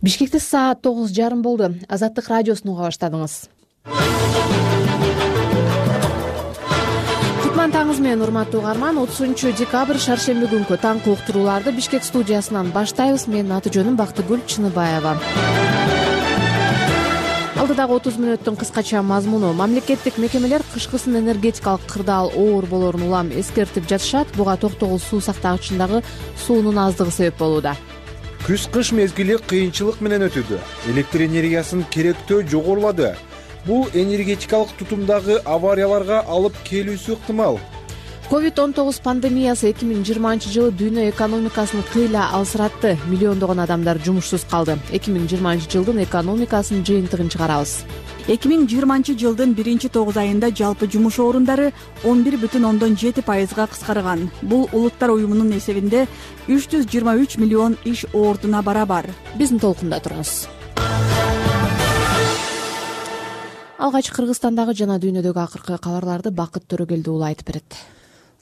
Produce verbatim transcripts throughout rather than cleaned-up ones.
Бишкекте саат тогуз жарым болду. Азаттык радиосун уга баштадыңыз. Кутман таңыңыз менен, урматтуу угарман. отузунчу декабрь шаршемби күнкү таңкы уктурууларды Бишкек студиясынан баштайбыз. Менин аты жөнүм Бактыгүл Чыныбаева. Алдыдагы отуз мүнөттүн кыскача мазмуну: мамлекеттик мекемелер кышкысын энергетикалык кырдаал оор болоорун улам эскертип жатышат. Буга токтогул суу сактагычындагы суунун аздыгы себеп болууда. Күз-кыш мезгили кыйынчылык менен өтүүдө. Электр энергиясынын керектөө жогорулады. Бул энергетикалык тутумдагы аварияларга алып келүүсү ыктымал. ковид он тогуз пандемиясы эки миң жыйырманчы жылы дүйнө экономикасын кыйла алсыратты. Миллиондогон адамдар жумушсуз калды. эки миң жыйырманчы жылдын экономикасынын жыйынтыгын чыгарабыз. эки миң жыйырманчы жылдын биринчи тогуз айында жалпы жумуш орундары он бир бүтүн ондон жети пайызга кыскарган. Бул Улуттар уюмунун эсебинде үч жүз жыйырма үч миллион иш ордуна барабар. Биздин толкунда туруңуз. Алгач Кыргызстандагы жана дүйнөдөгү акыркы кабарларды Бакыт Төрөгелди уулу айтып берет.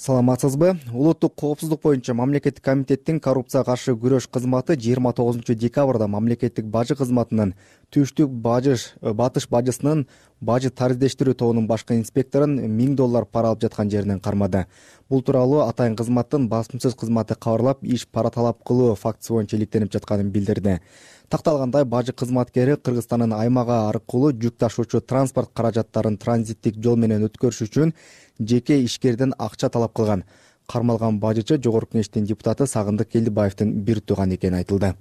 Саламатсызбы? Улуттук коопсуздук боюнча мамлекеттик комитеттин коррупцияга каршы күрөш кызматы жыйырма тогузунчу декабрда мамлекеттик бажы кызматынын түштүк бажыш батыш бажысынын бажы тарыздештирүү тобунун башкы инспекторун миң доллар пара алып жаткан жеринен кармады. Бул тууралуу атайын кызматтын басымсыз кызматы кабарлап, иш пара талап кылуу фактысы боюнча иликтенип жатканын билдирди. Такталгандай, бажы кызматкери Кыргызстандын аймагы аркылуу жүк ташуучу транспорт каражаттарын транзиттик жол менен өткөрүш үчүн жеке ишкерден акча талап кылган. Кармалган бажычы Жогорку Кеңештин депутаты Сагындык Келдибаевдин бир тууганы экени айтылды.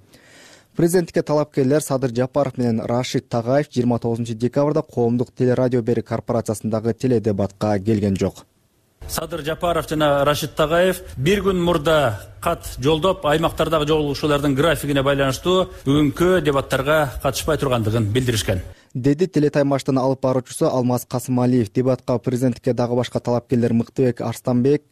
Президенттикке талапкерлер Садыр Жапаров менен Рашид Тагаев жыйырма тогузунчу декабрда коомдук телерадио берик корпорациясындагы теледебатка келген жок. Садыр Жапаров жана Рашид Тагаев бир күн мурда кат жолдоп, аймактардагы жолугушуулардын графигине байланыштуу бүгүнкү дебаттарга катышпай тургандыгын билдиришкен, деди телетаймаштын алып баруучусу Алмаз Касымалиев. Дебатка президенттикке дагы башка талапкерлер Мыктыбек Арстанбек,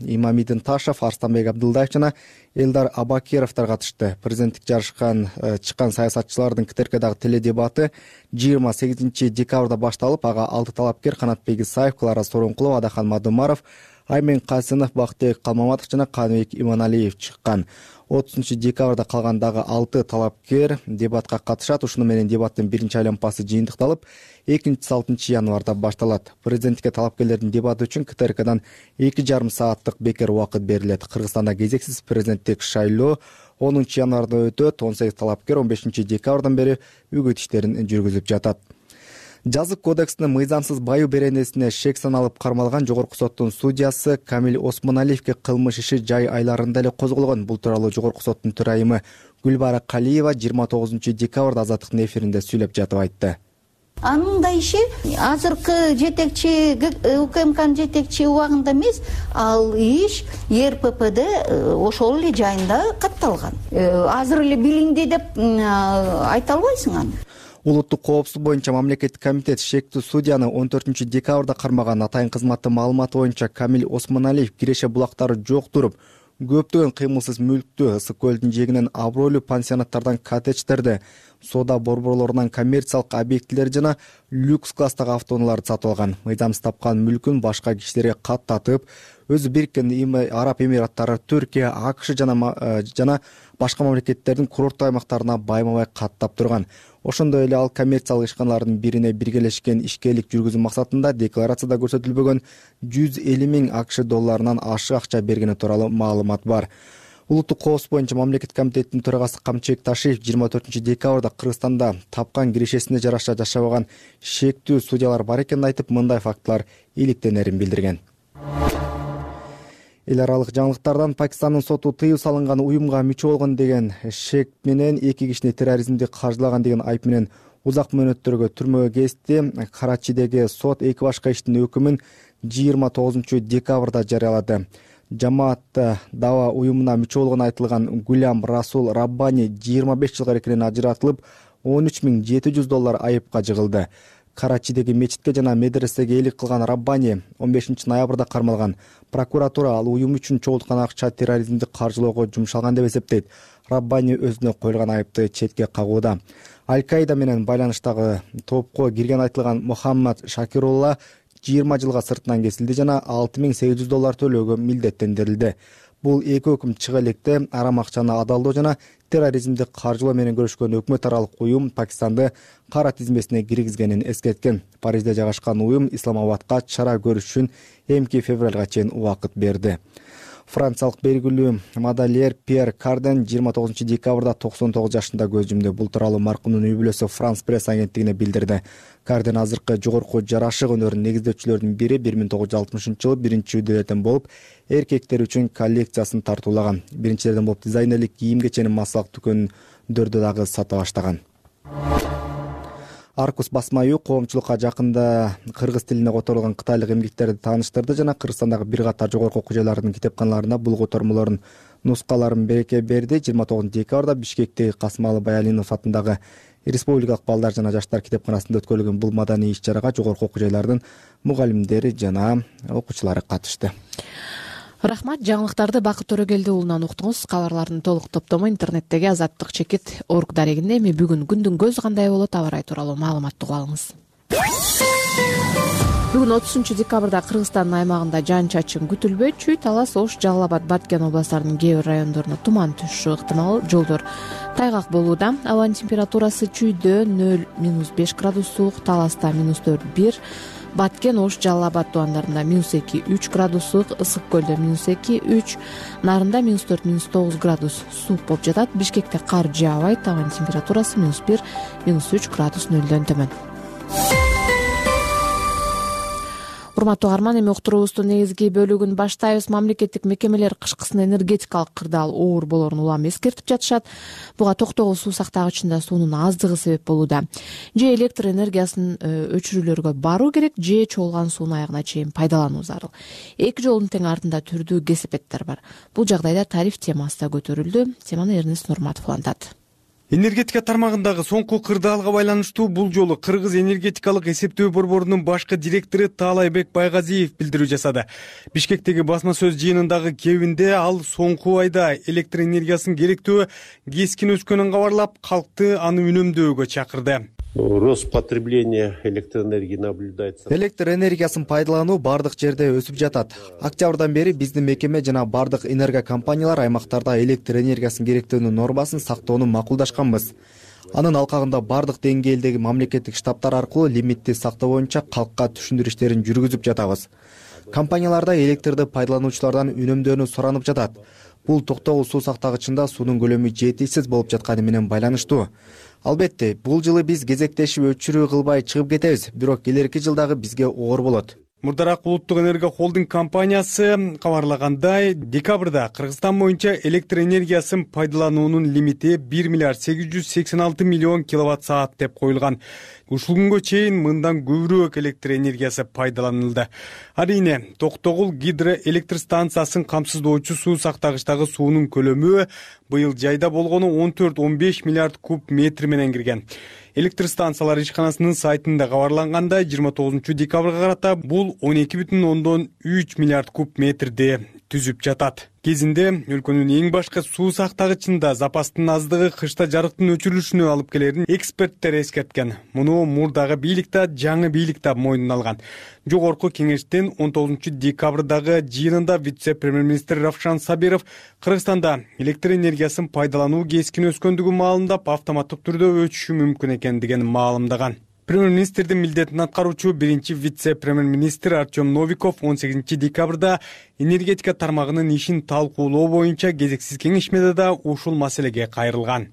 Имамидин Ташев, Арстанбек Абдылдаев жана Элдар Абакировдор катышты. Президенттик жарышкан чыккан саясатчылардын Кытеркедагы теледебаты жыйырма сегизинчи декабрда башталып, ага алты талапкер Канатбек Исаев, Клара Сооронкулова, Адахан Мадумаров, Аймен Касынов, Бактыбек Калмаматов жана Каныбек Иманалиев чыккан. отузунчу декабрда калган дагы алты талапкер дебатка катышат. Ушуну менен дебаттын биринчи айланпасы жыйынтыкталып, экинчиси алтынчы январда башталат. Президенттикке талапкерлердин дебаты үчүн Кытеркадан эки жарым сааттык бекер убакыт берилет. Кыргызстанда кезексиз президенттик шайлоо онунчу январда өтөт. он сегиз талапкер он бешинчи декабрдан бери үгүт иштерин жүргүзүп жатат. Жазык кодексинин мыйзамсыз баю беренесине шек саналып кармалган Жогорку соттун судьясы Камил Осмоналиевге кылмыш иши жай айларында эле козголгон. Бул тууралуу Жогорку соттун төрайымы Гүлбара Калиева жыйырма тогузунчу декабрда Азаттыктын эфиринде сүйлөп жатып айтты. Анын да иши азыркы жетекчи УКМКнын жетекчи убагында эмес, ал иш Е Р П П'де ошол эле жайында катталган. Азыр эле билинди деп айта албайсың аны. Улуттук коопсуздук боюнча мамлекеттик комитет шектүү судьяны он төртүнчү декабрда кармаган. Атайын кызматтын маалыматы боюнча Камил Осмоналиев киреше булактары жок туруп, көптөгөн кыймылсыз мүлктү Ысык көлдүн жээгинен абройлуу пансионаттардан коттедждерди, соода борборлорунан коммерциялык объектилер жана люкс класстагы автоунааларды сатып алган. Мыйзамсыз тапкан мүлкүн башка кишилерге каттатып, өзү Бириккен Араб Эмираттары, Түркия, АКШ жана жана башка мамлекеттердин курорттуу аймактарына байма-бай каттап турган. Ошондой эле ал коммерциялык ишканалардын бирине биргелешкен ишкерлик жүргүзүү максатында декларацияда көрсөтүлбөгөн жүз элүү миң АКШ долларынан ашык акча бергени тууралуу маалымат бар. Улуттук коопсуздук боюнча мамлекеттик комитеттин төрагасы Камчыбек Ташиев жыйырма төртүнчү декабрда Кыргызстанда тапкан кирешесине жараша жашабаган шектүү судьялар бар экенин айтып, мындай фактылар иликтенерин билдирген. Эл аралык жаңылыктардан Пакистандын соту тыюу салынган уюмга мүчө болгон деген шек менен эки кишини терроризмди каржылаган деген айып менен узак мөөнөттөргө түрмөгө кезди. Карачидеги сот эки башка иштин өкүмүн жыйырма тогузунчу декабрда жарыялады. Жамаат Дава уюмуна мүчө болгону айтылган Гулям Расул Раббани жыйырма беш жылга эркинен ажыратылып, он үч миң жети жүз доллар айыпка жыгылды. Карачидеги мечитке жана медресеге элик кылган Раббани он бешинчи ноябрда кармалган. Прокуратура ал уюм үчүн чогулткан акча терроризмди каржылоого жумшалган деп эсептейт. Раббани өзүнө коюлган айыпты четке кагууда. Аль-Каида менен байланыштагы топко кирген айтылган Мухаммад Шакирулла жыйырма жылга сыртынан кесилди жана алты миң сегиз жүз доллар төлөөгө милдеттендирилди. Бул эки өкүм чыга электе арам акчаны адалдоо жана терроризмди каржылоо менен күрөшкөн өкмөт аралык уюм Пакистанды кара тизмесине киргизгенин эскерткен. Парижде жайгашкан уюм Исламабадка чара көрүш үчүн эмки февралга чейин убакыт берди. Франциялык белгилүү модельер Пьер Карден жыйырма тогузунчу декабрда токсон тогуз жашында көз жумду. Бул тууралуу маркумдун үй бүлөсү Франс пресс агенттигине билдирди. Карден азыркы жогорку жарашык өнөрүнүн негиздөөчүлөрүнүн бири бир миң тогуз жүз алтымышынчы жылы биринчи үйдөлөрдөн болуп, эркектер үчүн коллекциясын тартуулаган. Биринчилерден болуп дизайнерлик кийим-кеченин массалык дүкөндөрдө дагы сата баштаган. Аркус басма үйү коомчулукка жакында кыргыз тилине которулган кытайлык эмгектерди тааныштырды жана Кыргызстандагы бир катар жогорку окуу жайлардын китепканаларында бул котормолордун нускаларын береке берди. жыйырма тогузунчу декабрда Бишкектеги Касымалы Баялинов атындагы Республикалык балдар жана жаштар китепканасында өткөрүлгөн бул маданий иш-чарага жогорку окуу жайлардын мугалимдери жана окуучулары катышты. Рахмат. Жаңылыктарды Бакыт Төрөгелди уулунан уктуңуз. Кабарлардын толук топтому интернеттеги азаттык чекит орг дарегинде. Эми бүгүн күндүн көзү кандай болот, аба ырайы тууралуу маалыматты угуп алыңыз. Бүгүн отузунчу декабрда Кыргызстандын аймагында жаан-чачын күтүлбөйт. Чүй, Талас, Ош, Жалал Абад, Баткен областарынын кээ бир райондоруна туман түшүшү ыктымал. Жолдор тайгак болууда. Абанын температурасы чүйдө нөл минус беш градус суук, Таласта минус төрт бир, Баткен, Ош, Жалал Абад тубандарында минус эки үч градус суук, Ысык көлдө минус эки үч, Нарында минус төрт минус тогуз градус суук болуп жатат. Бишкекте кар жаабайт. Абанын температурасы минус бир минус үч градус нөлдөн төмөн. Урматтуу угарман, эми уктуруубуздун негизги бөлүгүн баштайбыз. Мамлекеттик мекемелер кышкысын энергетикалык кырдаал оор болоорун улам эскертип жатышат. Буга токтогул суу сактагычында суунун аздыгы себеп болууда. Же электр энергиясын өчүрүүлөргө баруу керек, же чогулган сууну аягына чейин пайдалануу зарыл. Эки жолдун тең артында түрдүү кесепеттер бар. Бул жагдайда тариф темасы да көтөрүлдү. Теманы Эрнест Нурматов улантат. Энергетика тармагындагы соңку кырдаалга байланыштуу бул жолу Кыргыз энергетикалык эсептөө борборунун башкы директору Таалайбек Байгазиев билдирүү жасады. Бишкектеги басма сөз жыйынындагы кебинде ал соңку айда электр энергиясынын керектөө кескин өскөнүн кабарлап, калкты аны үнөмдөөгө чакырды. Рост потребления электроэнергии наблюдается. Электр энергиясын пайдалануу бардык жерде өсүп жатат. Октябрдан бери биздин мекеме жана бардык энергокомпаниялар аймактарда электр энергиясынын керектөөнүн нормасын сактоону макулдашканбыз. Анын алкагында бардык деңгээлдеги мамлекеттик штабтар аркылуу лимитти сактоо боюнча калкка түшүндүрүү иштерин жүргүзүп жатабыз. Компанияларда электрди пайдалануучулардан үнөмдөөнү суранып жатат. Бул токтогул суу сактагычында суунун көлөмү жетишсиз болуп жатканы менен байланыштуу. Албетте, бул жылы биз кезектешип өчүрүү кылбай чыгып кетебиз, бирок келерки жылдагы бизге оор болот. Мурдараак Улуттук энерго холдинг компаниясы кабарлагандай, декабрда Кыргызстан боюнча электр энергиясын пайдалануунун лимити бир миллиард сегиз жүз сексен алты миллион киловатт саат деп коюлган. Ушул күнгө чейин мындан көбүрөөк электр энергиясы пайдаланылды. Арийне, Токтогул гидроэлектр станциясын камсыздоочу суу сактагычтагы суунун көлөмү быйыл жайда болгону он төрт он беш миллиард куб метр менен кирген. Электр станциялар ишканасынын сайтында кабарлангандай, жыйырма тогузунчу декабрга карата бул он эки бүтүн ондон үч миллиард куб метрди түзүп жатат. Кезинде өлкөнүн эң башкы суу сактагычында запастын аздыгы кышта жарыктын өчүрүлүшүнө алып келерин эксперттер эскерткен. Муну мурдагы бийлик да, жаңы бийлик да мойнуна алган. Жогорку кеңештин он тогузунчу декабрдагы жыйынында вице-премьер-министр Равшан Сабиров Кыргызстанда электр энергиясын пайдалануу кескин өскөндүгү маалында автоматтык түрдө өчүшү мүмкүн экендигин маалымдаган. Премьер-министрдин милдетин аткаруучу биринчи вице-премьер-министр Артем Новиков он сегизинчи декабрда энергетика тармагынын ишин талкуулоо боюнча кезексиз кеңешмеде да ушул маселеге кайрылган.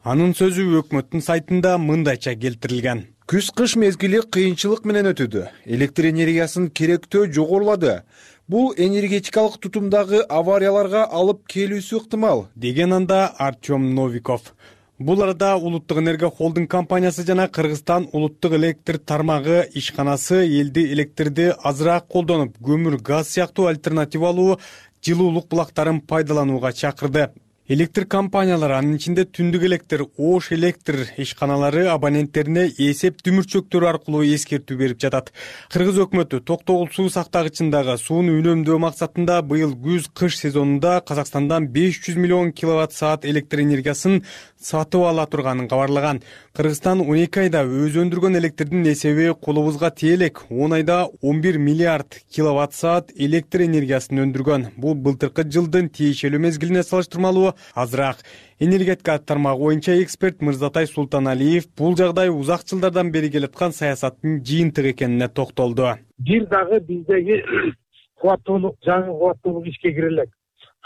Анын сөзү өкмөттүн сайтында мындайча келтирилген. Күз-кыш мезгили кыйынчылык менен өтүүдө. Электр энергиясынын керектөө жогорулады. Бул энергетикалык тутумдагы аварияларга алып келүүсү ыктымал, деген анда Артем Новиков. Бул арада Улуттук энерго холдинг компаниясы жана Кыргызстан улуттук электр тармагы ишканасы элди электрди азыраак колдонуп, көмүр, газ сыяктуу альтернативалуу жылуулук булактарын пайдаланууга чакырды. Электр компаниялары, анын ичинде түндүк электр, ош электр ишканалары абоненттерине эсеп дүмүрчөктөрү аркылуу эскертүү берип жатат. Кыргыз өкмөтү Токтогул суу сактагычындагы сууну үнөмдөө максатында быйыл күз-кыш сезонунда Казакстандан беш жүз миллион киловатт саат электр энергиясын сатып ала турганын кабарлаган. Кыргызстан он эки айда өз өндүргөн электрдин эсеби колубузга тие элек. он айда он бир миллиард киловатт саат электр энергиясын өндүргөн. Бул былтыркы жылдын тиешелүү мезгилине салыштырмалуу азыраак. Энергетика тармагы боюнча эксперт Мырзатай Султаналиев бул жагдай узак жылдардан бери келаткан саясаттын жыйынтыгы экенине токтолду. Бир дагы биздеги кубаттуулук, жаңы кубаттуулук ишке кире элек.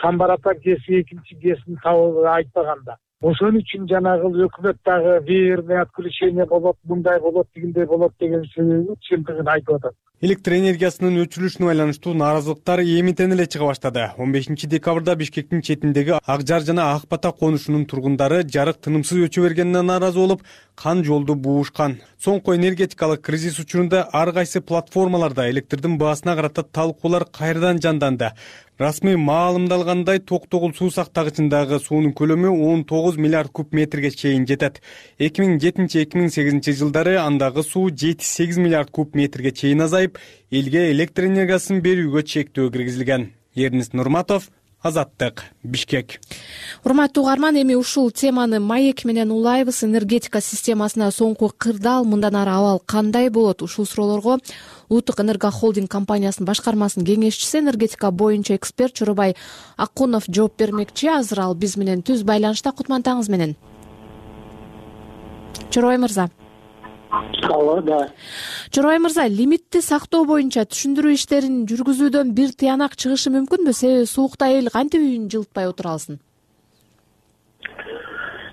Камбарата кеси экинчи кесин табылды айтпаганда. Ошон үчүн жанагы өкмөт дагы верное отключение болот, мындай болот, тигиндей болот деген чындыгын айтып атат. Электр энергиясынын өчүрүлүшүнө байланыштуу нааразылыктар эмитен эле чыга баштады. он бешинчи декабрда Бишкектин четиндеги Ак Жар жана Ак Бата конушунун тургундары жарык тынымсыз өчө бергенине нааразы болуп, кан жолду буушкан. Соңку энергетикалык кризис учурунда ар кайсы платформаларда электрдин баасына карата талкуулар кайрадан жанданды. Расмий маалымдалгандай, Токтогул суу сактагычындагы суунун көлөмү он тогуз миллиард куб метрге чейин жетет. эки миң жетинчи эки миң сегизинчи жылдары андагы суу жети сегиз миллиард куб метрге чейин азайып, элге электр энергиясын берүүгө чектөө киргизилген. Эрнис Нурматов, Азаттык, Бишкек. Урматтуу угарман, эми ушул теманы маек менен улайбыз. Энергетика системасына соңку кырдаал, мындан ары абал кандай болот? Ушул суроолорго Улуттук Энерго Холдинг компаниясынын башкармасынын кеңешчиси, энергетика боюнча эксперт Чоробай Акунов жооп бермекчи. Азыр ал биз менен түз байланышта. Кутмантаңыз менен. Чоробай мырза. Алло, да. Чоробай мырза, лимитти сактоо боюнча түшүндүрүү иштерин жүргүзүүдөн бир тыянак чыгышы мүмкүнбү? Себеби суукта эл кантип үйүн жылытпай отура алсын?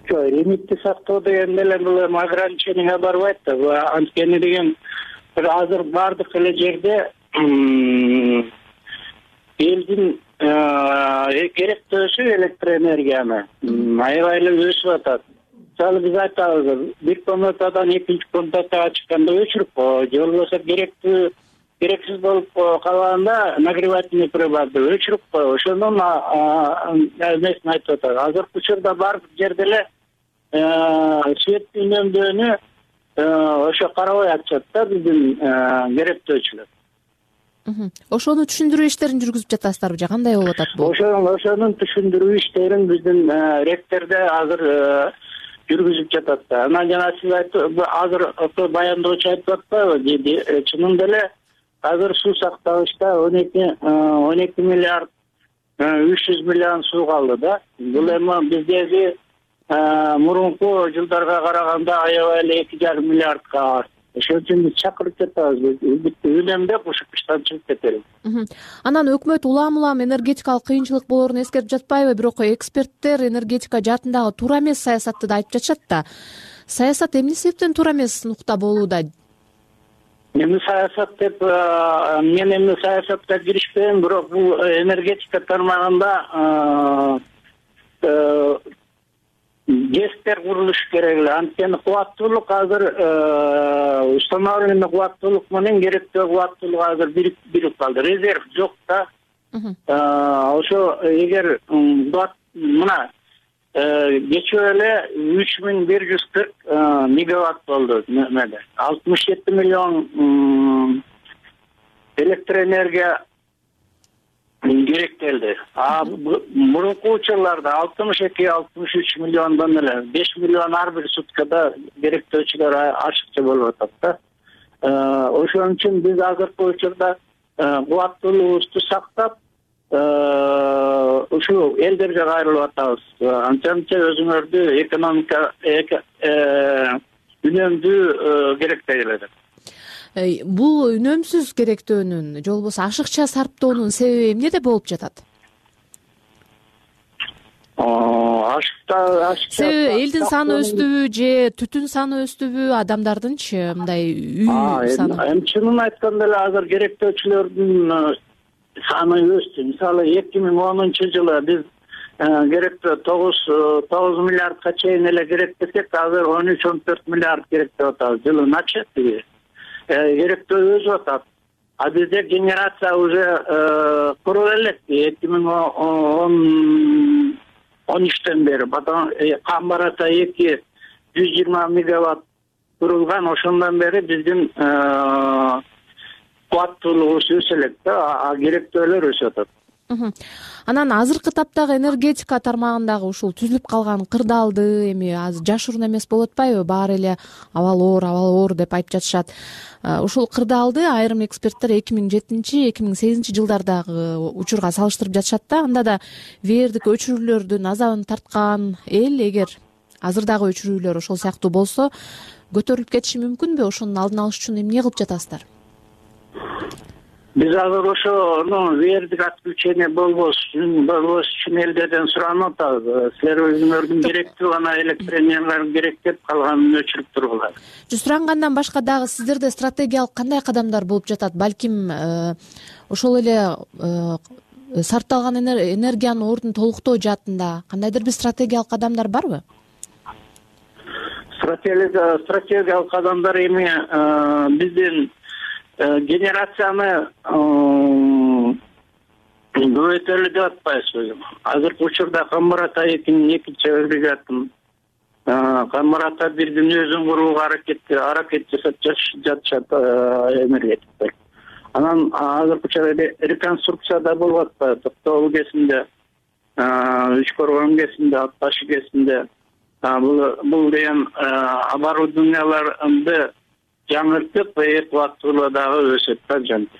Жок, лимитти сактоо дегенде эле бул эми ограничениеге барбайт да. Анткени деген азыр бардык эле жерде элдин керектөөсү электр энергияны аябай эле өсүп атат. Мисалы биз айтабыз, бир комнатадан экинчи комнатага чыкканда өчүрүп кой, же болбосо керектүү керексиз болуп калганда нагревательный приборду өчүрүп кой. Ошонун эмесин айтып атат. Азыркы учурда бардык жерде эле свет үнөмдөөнү ошо карабай атышат да биздин керектөөчүлөр. Ошону түшүндүрүү иштерин жүргүзүп жатасыздарбы же кандай болуп атат бул? Ошонун ошонун түшүндүрүү иштерин биздин ректордо азыр жүргүзүп жатат да. Анан жана сиз айтып, азыр баяндоочу айтып атпайбы? Чынында эле азыр суу сактагычта он эки миллиард үч жүз миллион суу калды да. Бул эми биздеги мурунку жылдарга караганда аябай эле эки жарым миллиардка артты. Ошон үчүн биз чакырып жатабыз. Үнөмдөп ушул кыштан чыгып кетели. Анан өкмөт улам улам энергетикалык кыйынчылык болоорун эскерип жатпайбы? Бирок эксперттер энергетика жаатындагы туура эмес саясатты да айтып жатышат да. Саясат эмне себептен туура эмес нукта болууда? Эми саясат деп мен эми саясатка киришпейм, бирок бул энергетика тармагында ГЭСтер курулушу керек эле. Анткени кубаттуулук азыр установленный кубаттуулук менен керектүү кубаттуулук азыр бирип калды. Резерв жок да. Ошо эгер мына кечээ эле үч миң бир жүз кырк мегаватт болду немеде. алтымыш жети миллион электр энергия керектелди. А мурунку учурларда алтымыш эки алтымыш үч миллиондон эле беш миллион ар бир суткада керектөөчүлөр ашыкча болуп атат да. Ошон үчүн биз азыркы учурда кубаттуулугубузду сактап ушул элдерге кайрылып атабыз. Анча-мынча өзүңөрдү экономика үнөмдүү керектей эле. Бул үнөмсүз керектөөнүн же болбосо ашыкча сарптоонун себеби эмнеде болуп жатат? Ашыкча ашыкча себеби элдин саны өстүбү же түтүн саны өстүбү, адамдардынчы мындай үй саны? Эми чынын айтканда эле азыр керектөөчүлөрдүн саны өстү. Мисалы эки миң онунчу жылы биз керектөө тогуз миллиардка чейин эле керектесек, азыр он үч он төрт миллиард керектеп атабыз. Жылыначы керектөө өсүп атат. А бизде генерация уже куруп элек. эки миң он үчтөн бери потом Камбар Ата эки жүз жыйырма мегаватт курулган, ошондон бери биздин кубаттуулугубуз өсө элек да, керектөөлөр өсүп атат. Анан азыркы таптагы энергетика тармагындагы ушул түзүлүп калган кырдаалды эми азыр жашыруун эмес болуп атпайбы? Баары эле абал оор, абал оор деп айтып жатышат. Ушул кырдаалды айрым эксперттер эки миң жетинчи эки миң сегизинчи жылдардагы учурга салыштырып жатышат да. Анда да веердик өчүрүүлөрдүн азабын тарткан эл эгер азырдагы өчүрүүлөр ошол сыяктуу болсо көтөрүлүп кетиши мүмкүнбү? Ошонун алдын алыш үчүн эмне кылып жатасыздар? Биз азыр ошону веердик отключение болбош болбош үчүн элдерден суранып атабыз. Силер өзүңөрдүн керектүү гана электроэнергиялар керек деп калганын өчүрүп тургула. Сурангандан башка дагы сиздерде стратегиялык кандай кадамдар болуп жатат? Балким ошол эле сарпталган энергиянын ордун толуктоо жаатында кандайдыр бир стратегиялык кадамдар барбы? Стратегиялык кадамдар эми биздин генерацияны көбөйтөлү деп атпайбызбы? Азыркы учурда Камбар Ата экинин экинчи агрегатын Камбар Ата бирдин өзүн курууга аракет аракет жасап жатышат энергетиктер. Анан азыркы учурда реконструкция да болуп атпайбы? Токтогул кесинде, Үч Коргон кесинде, Ат Ташы кесинде бул деген оборудованияларды жаңыртып, экваттуулугу дагы өсөт да жанты.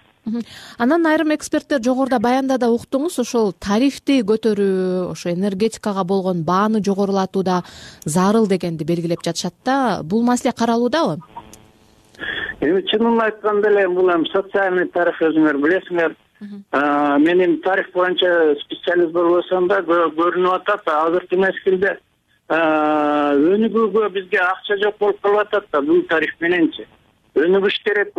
Анан айрым эксперттер жогоруда баянда да уктуңуз, ошол тарифти көтөрүү, ошо энергетикага болгон бааны жогорулатуу да зарыл дегенди белгилеп жатышат да. Бул маселе каралуудабы? Эми чынын айтканда эле бул эми социальный тариф, өзүңөр билесиңер. Мен эми тариф боюнча специалист болбосом да көрүнүп атат. Азыркы мезгилде өнүгүүгө бизге акча жок болуп калып атат да бул тариф мененчи. Өнүгүш керек,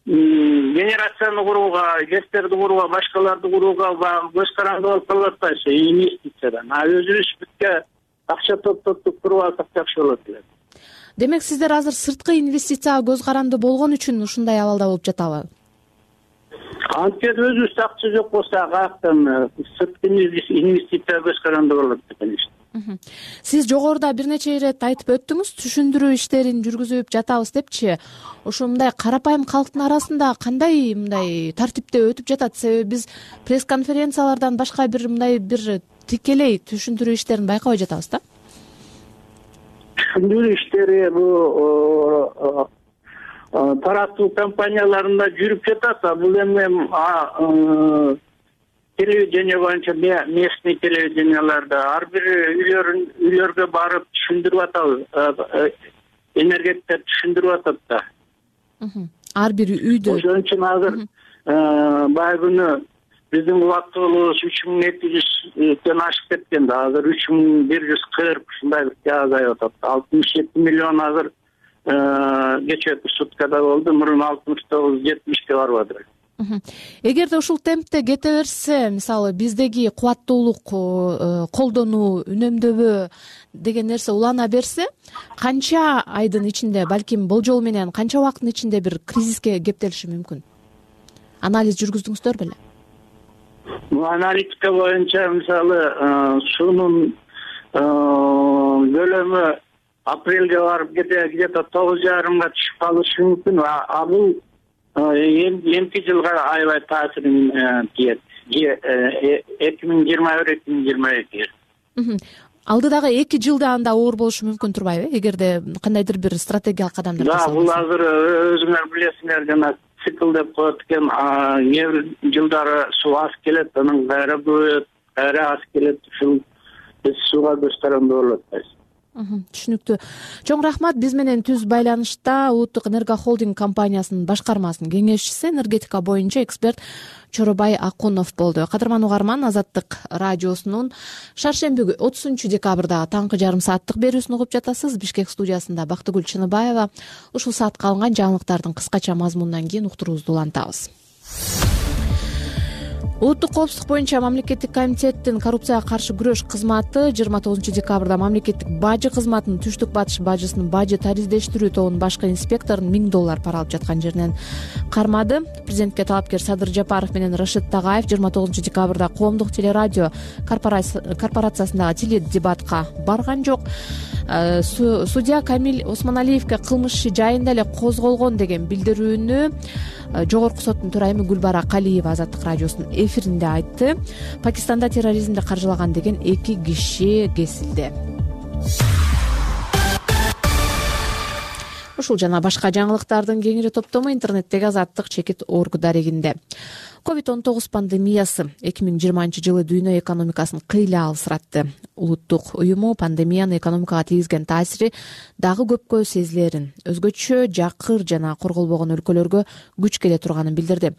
генерацияны курууга, гэстерди курууга, башкаларды курууга көз каранды болуп калып атпайбы инвестициядан. А өзүбүз бүтө акча топтоп туруп алсак жакшы болот эле. Демек сиздер азыр сырткы инвестицияга көз каранды болгон үчүн ушундай абалда болуп жатабы? Анткени өзүбүздө акча жок болсо каяктан сырткы инвестицияга көз каранды болот конечно. Сиз жогоруда бир нече ирет айтып өттүңүз, түшүндүрүү иштерин жүргүзүп жатабыз депчи. Ошо мындай карапайым калктын арасында кандай мындай тартипте өтүп жатат? Себеби биз пресс-конференциялардан башка бир мындай бир тикелей түшүндүрүү иштерин байкабай жатабыз да. Түшүндүрүү иштери бул таратуу компанияларында жүрүп жатат. Бул эми телевидение боюнча местный телевиденияларда ар бир үйлөргө барып түшүндүрүп атабыз. Энергетиктер түшүндүрүп атат да. Ар бир үйдө. Ошон үчүн азыр баай күнү биздин убактылуубуз үч миң эки жүздөн ашып кеткен да. Азыр үч миң бир жүз кырк ушундай бир азайып атат. алтымыш жети миллион азыр кечээки суткада болду. Мурун алтымыш тогуз жетимишке барып атат. Эгерде ушул темпте кете берсе, мисалы биздеги кубаттуулук колдонуу, үнөмдөбө деген нерсе улана берсе, канча айдын ичинде, балким болжол менен канча убакыттын ичинде бир кризиске кептелиши мүмкүн? Анализ жүргүздүңүздөр беле? Аналитика боюнча мисалы суунун көлөмү апрелге барып где-то тогуз жарымга түшүп калышы мүмкүн. А бул эмки жылга аябай таасирин тиет. эки миң жыйырма бир эки миң жыйырма эки. Алдыдагы эки жылда анда оор болушу мүмкүн турбайбы? Эгерде кандайдыр бир стратегиялык кадамдар жасалса. Да, бул азыр өзүңөр билесиңер, жана цикл деп коет экен. Кээ бир жылдары суу аз келет, анан кайра көбөйөт, кайра аз келет. Ушул биз сууга көз каранды болуп атпайбыз. Түшүнүктүү. Чоң рахмат. Биз менен түз байланышта Улуттук Энерго Холдинг компаниясынын башкармасынын кеңешчиси, энергетика боюнча эксперт Чоробай Акунов болду. Кадырман угарман, Азаттык радиосунун шаршемби отузунчу декабрда таңкы жарым сааттык берүүсүн угуп жатасыз. Бишкек студиясында Бактыгүл Чыныбаева. Ушул саатка алынган жаңылыктардын кыскача мазмунунан кийин уктуруубузду улантабыз. Улуттук коопсуздук боюнча мамлекеттик комитеттин коррупцияга каршы күрөш кызматы жыйырма тогузунчу декабрда мамлекеттик бажы кызматынын түштүк батыш бажысынын бажы тариздештирүү тобунун башкы инспекторун миң доллар пара алып жаткан жеринен кармады. Президентке талапкер Садыр Жапаров менен Рашид Тагаев жыйырма тогузунчу декабрда коомдук телерадио корпорациясындагы теледебатка барган жок. Судья Камил Осмоналиевге кылмыш иши жайында эле козголгон деген билдирүүнү Жогорку соттун төрайымы Гүлбара Калиева Азаттык радиосунун эфиринде айтты. Пакистанда терроризмди каржылаган деген эки киши кесилди. Ушул жана башка жаңылыктардын кеңири топтому интернеттеги Азаттык чекит орг дарегинде. ковид он тогуз пандемиясы эки миң жыйырманчы жылы дүйнө экономикасын кыйла алсыратты. Улуттук уюму пандемиянын экономикага тийгизген таасири дагы көпкө сезилерин, өзгөчө жакыр жана корголбогон өлкөлөргө күч келе турганын билдирди.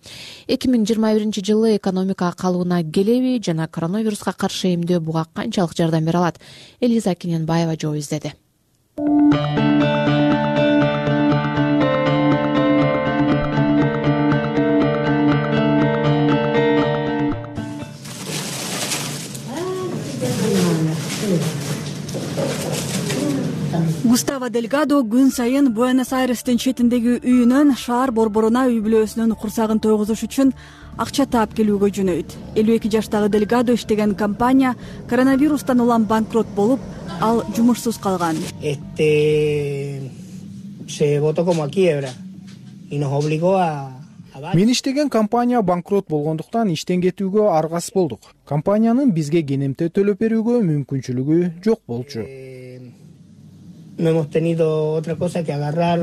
эки миң жыйырма биринчи жылы экономика калыбына келеби жана коронавируска каршы эмдөө буга канчалык жардам бере алат? Элиза Кененбаева жооп издеди. Густаво Дельгадо күн сайын Буэнос-Айрестин четиндеги үйүнөн шаар борборуна үй бүлөсүнүн курсагын тойгузуш үчүн акча таап келүүгө жөнөйт. элүү эки жаштагы Дельгадо иштеген компания коронавирустан улам банкрот болуп, ал жумушсуз калган. Мен иштеген компания банкрот болгондуктан иштен кетүүгө аргасыз болдук. Компаниянын бизге кенемте төлөп берүүгө мүмкүнчүлүгү жок болчу. No hemos tenido otra cosa que agarrar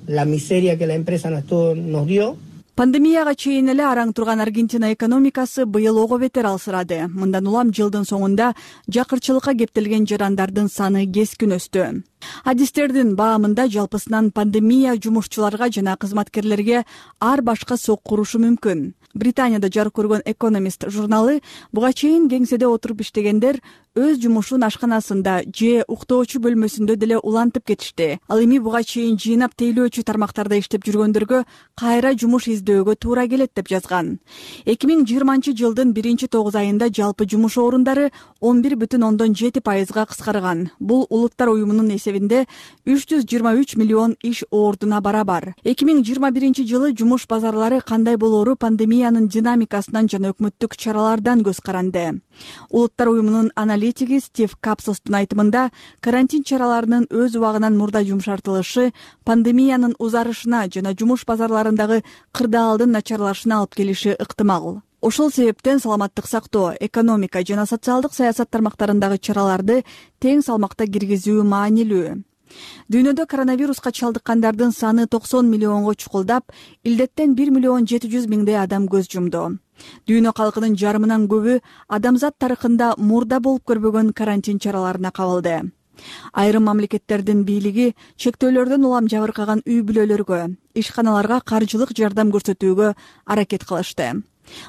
la miseria que la empresa nos dio. Пандемияга чейин эле араң турган Аргентина экономикасы быйыл ого бетер алсырады. Мындан улам жылдын соңунда жакырчылыкка кептелген жарандардын саны кескин өстү. Адистердин баамында жалпысынан пандемия жумушчуларга жана кызматкерлерге ар башка сокку урушу мүмкүн. Британияда жарык көргөн Economist журналы буга чейин кеңседе отуруп иштегендер өз жумушун ашканасында же уктоочу бөлмөсүндө деле улантып кетишти. Ал эми буга чейин жыйнап тейлөөчү тармактарда иштеп жүргөндөргө кайра жумуш издөөгө туура келет деп жазган. эки миң жыйырманчы жылдын биринчи тогуз айында жалпы жумуш орундары он бир бүтүн ондон жети пайызга кыскарган. Бул Улуттар уюмунун эсебинде үч жүз жыйырма үч миллион иш ордуна барабар. эки миң жыйырма биринчи жылы жумуш базарлары кандай болоору пандемиянын динамикасынан жана өкмөттүк чаралардан көз каранды. Улуттар уюмунун аналитиги Стив Капсостун айтымында карантин чараларынын өз убагынан мурда жумшартылышы пандемиянын узарышына жана жумуш базарларындагы кырдаалдын начарлашына алып келиши ыктымал. Ошол себептен саламаттык сактоо, экономика жана социалдык саясат тармактарындагы чараларды тең салмакта киргизүү маанилүү. Дүйнөдө коронавируска чалдыккандардын саны токсон миллионго чукулдап, илдеттен бир миллион жети жүз миңдей адам көз жумду. Дүйнө калкынын жарымынан көбү адамзат тарыхында мурда болуп көрбөгөн карантин чараларына кабылды. Айрым мамлекеттердин бийлиги чектөөлөрдөн улам жабыркаган үй бүлөлөргө, ишканаларга каржылык жардам көрсөтүүгө аракет кылышты.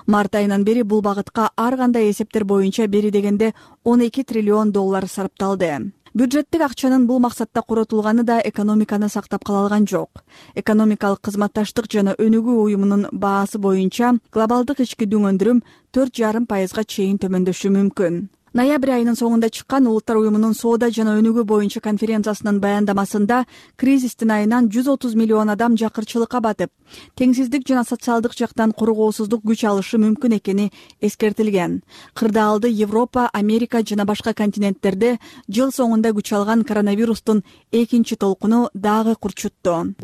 Март айынан бери бул багытка ар кандай эсептер боюнча бери дегенде он эки триллион доллар сарпталды. Бюджеттик акчанын бул максатта коротулганы да экономиканы сактап кала алган жок. Экономикалык кызматташтык жана өнүгүү уюмунун баасы боюнча глобалдык ички дүңөндүрүм төрт жарым пайызга чейин төмөндөшү мүмкүн. Ноябрь айынын соңунда чыккан Улуттар уюмунун соода жана өнүгүү боюнча конференциясынын баяндамасында кризистин айынан жүз отуз миллион адам жакырчылыкка батып, теңсиздик жана социалдык жактан коргоосуздук күч алышы мүмкүн экени эскертилген. Кырдаалды Европа, Америка жана башка континенттерде жыл соңунда күч алган коронавирустун экинчи толкуну дагы курчутту.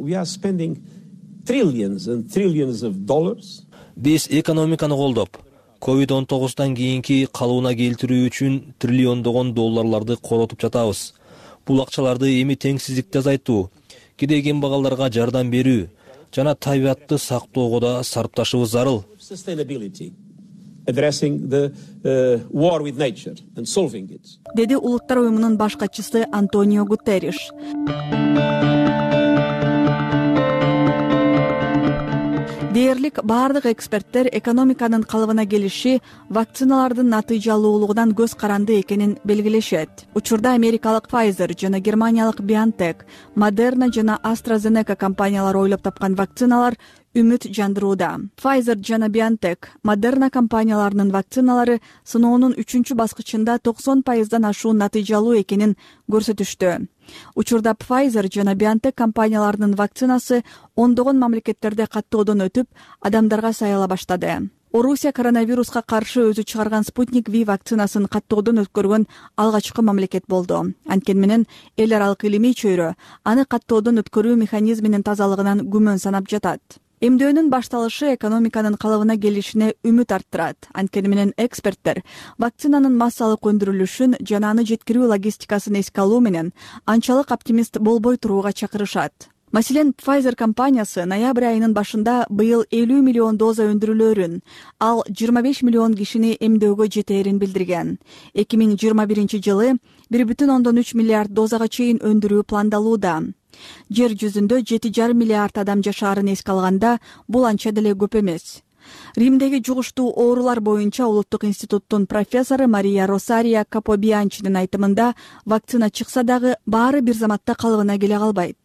Биз экономиканы колдоп, ковид он тогуздан кийинки калыбына келтирүү үчүн триллиондогон долларларды коротуп жатабыз. Бул акчаларды эми теңсиздикти азайтуу, кедей кембагалдарга жардам берүү жана табиатты сактоого да сарпташыбыз зарыл. Деди Улуттар уюмунун баш катчысы Антонио Гутерриш. Дээрлик баардык эксперттер экономиканын калыбына келиши вакциналардын натыйжалуулугунан көз каранды экенин белгилешет. Учурда америкалык Pfizer жана германиялык BioNTech, Moderna жана AstraZeneca компаниялары ойлоп тапкан вакциналар үмүт жандырууда. Pfizer жана BioNTech, Moderna компанияларынын вакциналары сыноонун үчүнчү баскычында токсон пайыздан ашуун натыйжалуу экенин көрсөтүштү. Учурда Pfizer жана BioNTech компанияларынын вакцинасы ондогон мамлекеттерде каттоодон өтүп, адамдарга саяла баштады. Орусия коронавируска каршы өзү чыгарган Спутник V вакцинасын каттоодон өткөргөн алгачкы мамлекет болду. Анткени менен эл аралык илимий чөйрө аны каттоодон өткөрүү механизминин тазалыгынан күмөн санап жатат. Эмдөөнүн башталышы экономиканын калыбына келишине үмүт арттырат. Анткени менен эксперттер вакцинанын массалык өндүрүлүшүн жана аны жеткирүү логистикасын эске алуу менен анчалык оптимист болбой турууга чакырышат. Маселен, Pfizer компаниясы ноябрь айынын башында быйыл элүү миллион доза өндүрүлөөрүн, ал жыйырма беш миллион кишини эмдөөгө жетээрин билдирген. эки миң жыйырма биринчи жылы бир бүтүн ондон үч миллиард дозага чейин өндүрүү пландалууда. Жер жүзүндө жети жарым миллиард адам жашаарын эске алганда, бул анча деле көп эмес. Римдеги жугуштуу оорулар боюнча улуттук институттун профессору Мария Росария Капобианчинин айтымында, вакцина чыкса дагы баары бир заматта калыбына келе калбайт.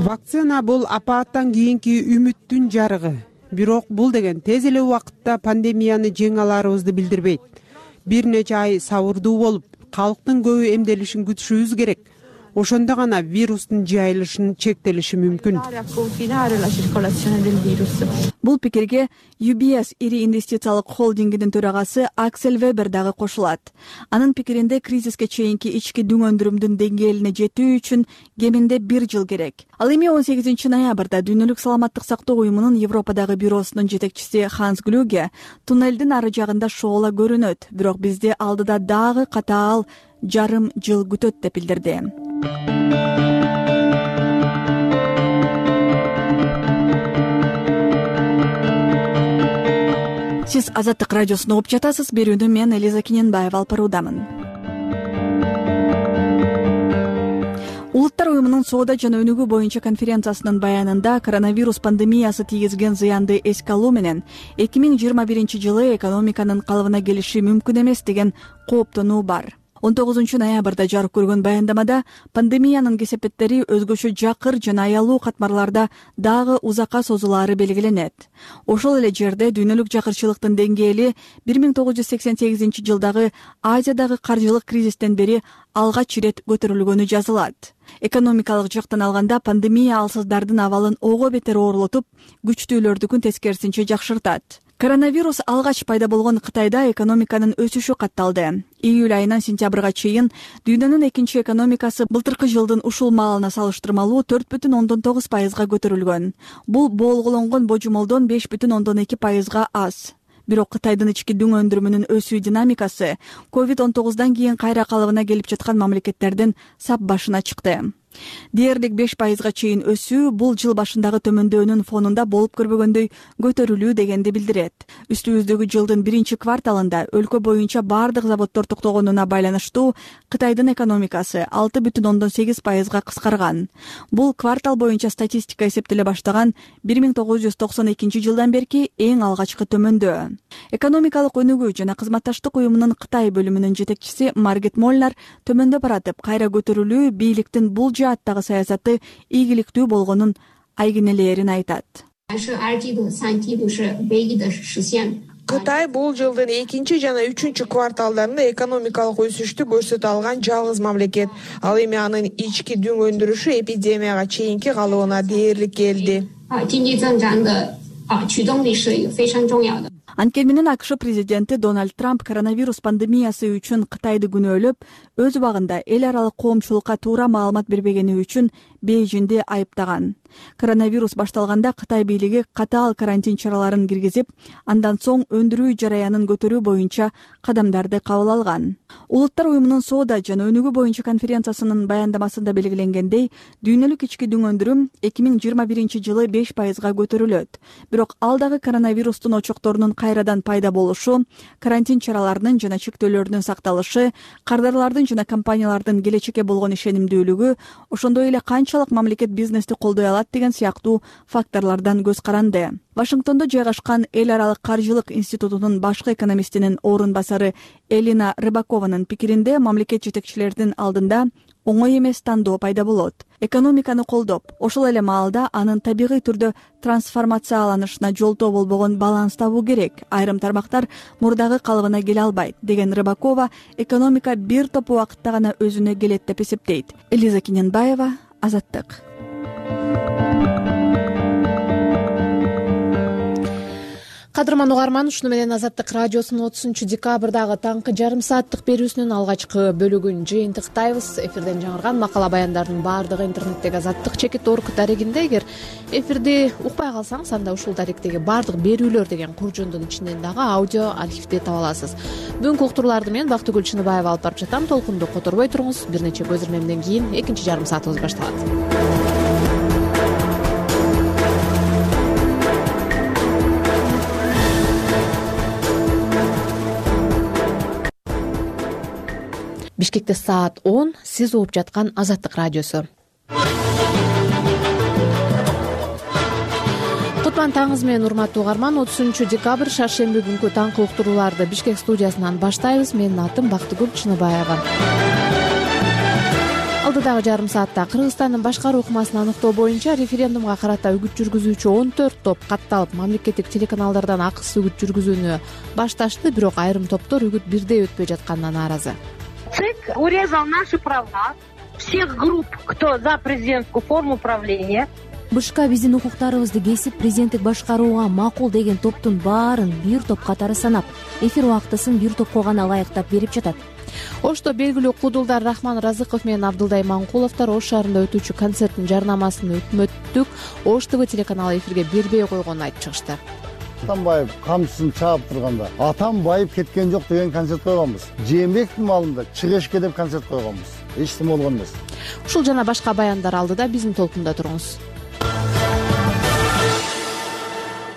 Вакцина бул апааттан кийинки үмүттүн жарыгы. Бирок бул деген тез эле убакытта пандемияны жеңе аларыбызды билдирбейт. Бир нече ай сабырдуу болуп, калктын көбү эмделишин күтүшүбүз керек. Ошондо гана вирустун жайылышын чектелиши мүмкүн. Бул пикирге ю би эс ири инвестициялык холдингинин төрагасы Аксель Вебер дагы кошулат. Анын пикиринде кризиске чейинки ички дүң өндүрүмдүн деңгээлине жетүү үчүн кеминде бир жыл керек. Ал эми он сегизинчи ноябрда Дүйнөлүк саламаттык сактоо уюмунун Европадагы бюросунун жетекчиси Ханс Глюге туннелдин ары жагында шоола көрүнөт, бирок бизди алдыда дагы катаал жарым жыл күтөт деп билдирди. Сиз Азаттык радиосун угуп жатасыз. Берүүнү мен Элиза Кененбаева алып баруудамын. Улуттар уюмунун соода жана өнүгүү боюнча конференциясынын баянында коронавирус пандемиясы тийгизген зыянды эске алуу менен эки миң жыйырма биринчи жылы экономиканын калыбына келиши мүмкүн эмес деген кооптонуу бар. он тогузунчу ноябрда жарык көргөн баяндамада пандемиянын кесепеттери өзгөчө жакыр жана аялуу катмарларда дагы узакка созулаары белгиленет. Ошол эле жерде дүйнөлүк жакырчылыктын деңгээли бир миң тогуз жүз сексен сегизинчи жылдагы Азиядагы каржылык кризистен бери алгач ирет көтөрүлгөнү жазылат. Экономикалык жактан алганда пандемия алсыздардын абалын ого бетер оорлотуп, күчтүүлөрдүкүн тескерисинче жакшыртат. Коронавирус алгач пайда болгон Кытайда экономиканын өсүшү катталды. Июль айынан сентябрга чейин дүйнөнүн экинчи экономикасы былтыркы жылдын ушул маалына салыштырмалуу төрт бүтүн ондон тогуз пайызга көтөрүлгөн. Бул болголонгон божомолдон беш бүтүн ондон эки пайызга аз. Бирок Кытайдын ички дүң өндүрүмүнүн өсүү динамикасы ковид он тогуздан кийин кайра калыбына келип жаткан мамлекеттердин сап башына чыкты. Дээрлик беш пайызга чейин өсүү бул жыл башындагы төмөндөөнүн фонунда болуп көрбөгөндөй көтөрүлүү дегенди билдирет. Үстүбүздөгү жылдын биринчи кварталында өлкө боюнча бардык заводдор токтогонуна байланыштуу Кытайдын экономикасы алты бүтүн ондон сегиз пайызга кыскарган. Бул квартал боюнча статистика эсептеле баштаган бир миң тогуз жүз токсон экинчи жылдан берки эң алгачкы төмөндөө. Экономикалык өнүгүү жана кызматташтык уюмунун Кытай бөлүмүнүн жетекчиси Маргет Молнар төмөндөп баратып, кайра көтөрүлүү бийликтин бул жааттагы саясаты ийгиликтүү болгонун айгинелээрин айтат. Кытай бул жылдын экинчи жана үчүнчү кварталдарында экономикалык өсүштү көрсөтө алган жалгыз мамлекет. Ал эми анын ички дүң өндүрүшү эпидемияга чейинки калыбына дээрлик келди. Анткени менен АКШ президенти Дональд Трамп коронавирус пандемиясы үчүн Кытайды күнөөлөп, өз убагында эл аралык коомчулукка туура маалымат бербегени үчүн Бейжиңди айыптаган. Коронавирус башталганда Кытай бийлиги катаал карантин чараларын киргизип, андан соң өндүрүү жараянын көтөрүү боюнча кадамдарды кабыл алган. Улуттар уюмунун соода жана өнүгүү боюнча конференциясынын баяндамасында белгиленгендей, дүйнөлүк ички дүң өндүрүм эки миң жыйырма биринчи жылы беш пайызга көтөрүлөт. Бирок ал дагы коронавирустун очокторунун кайрадан пайда болушу, карантин чараларынын жана чектөөлөрдүн сакталышы, кардарлардын жана компаниялардын келечекке болгон ишенимдүүлүгү, ошондой эле канча канчалык мамлекет бизнести колдой алат деген сыяктуу факторлордон көз каранды. Вашингтондо жайгашкан эл аралык каржылык институтунун башкы экономистинин орун басары Элина Рыбакованын пикиринде мамлекет жетекчилеринин алдында оңой эмес тандоо пайда болот. Экономиканы колдоп, ошол эле маалда анын табигый түрдө трансформацияланышына жолтоо болбогон баланс табуу керек. Айрым тармактар мурдагы калыбына келе албайт деген Рыбакова экономика бир топ убакытта гана өзүнө келет деп эсептейт. Элиза Кененбаева, Азаттык. Кадырман угарман, ушуну менен Азаттык радиосунун отузунчу декабрдагы таңкы жарым сааттык берүүсүнүн алгачкы бөлүгүн жыйынтыктайбыз. Эфирден жаңырган макала баяндардын баардыгы интернеттеги Азаттык чекит орг дарегинде. Эгер эфирди укпай калсаңыз, анда ушул даректеги баардык берүүлөр деген куржундун ичинен дагы аудио архивди таба аласыз. Бүгүнкү уктурууларды мен Бактыгүл Чыныбаева алып барып жатам. Толкунду которбой туруңуз. Бир нече көз ирмемден кийин экинчи жарым саатыбыз башталат. Бишкекте саат он, сиз угуп жаткан Азаттык радиосу. Кутман таңыңыз менен урматтуу угарман, отузунчу декабрь шаршемби күнкү таңкы уктурууларды Бишкек студиясынан баштайбыз. Менин атым Бактыгүл Чыныбаева. Алдыдагы жарым саатта Кыргызстандын башкаруу ыкмасын аныктоо боюнча референдумга карата үгүт жүргүзүүчү он төрт топ катталып, мамлекеттик телеканалдардан акысыз үгүт жүргүзүүнү башташты, бирок айрым топтор үгүт бирдей өтпөй жатканына нааразы. ЦИК урезал наши права всех групп, кто за президентскую форму управления. Бышка биздин укуктарыбызды кесип, президенттик башкарууга макул деген топтун баарын бир топ катары санап, эфир убактысын бир топко гана ылайыктап берип жатат. Ошто белгилүү кудулдар Рахман Разыков менен Абдылдай Маңкуловдор Ош шаарында өтүүчү концерттин жарнамасын өкмөттүк Ош ТВ телеканалы эфирге бербей койгонун айтып чыгышты. Атамбаев камчысын чаап турганда Атамбаев кеткен жок деген концерт койгонбуз. Жээнбековдун маалында Чыгышке деп концерт койгонбуз. Эч нерсе болгон эмес. Ушул жана башка баяндар алдыда биздин толкунда туруңуз.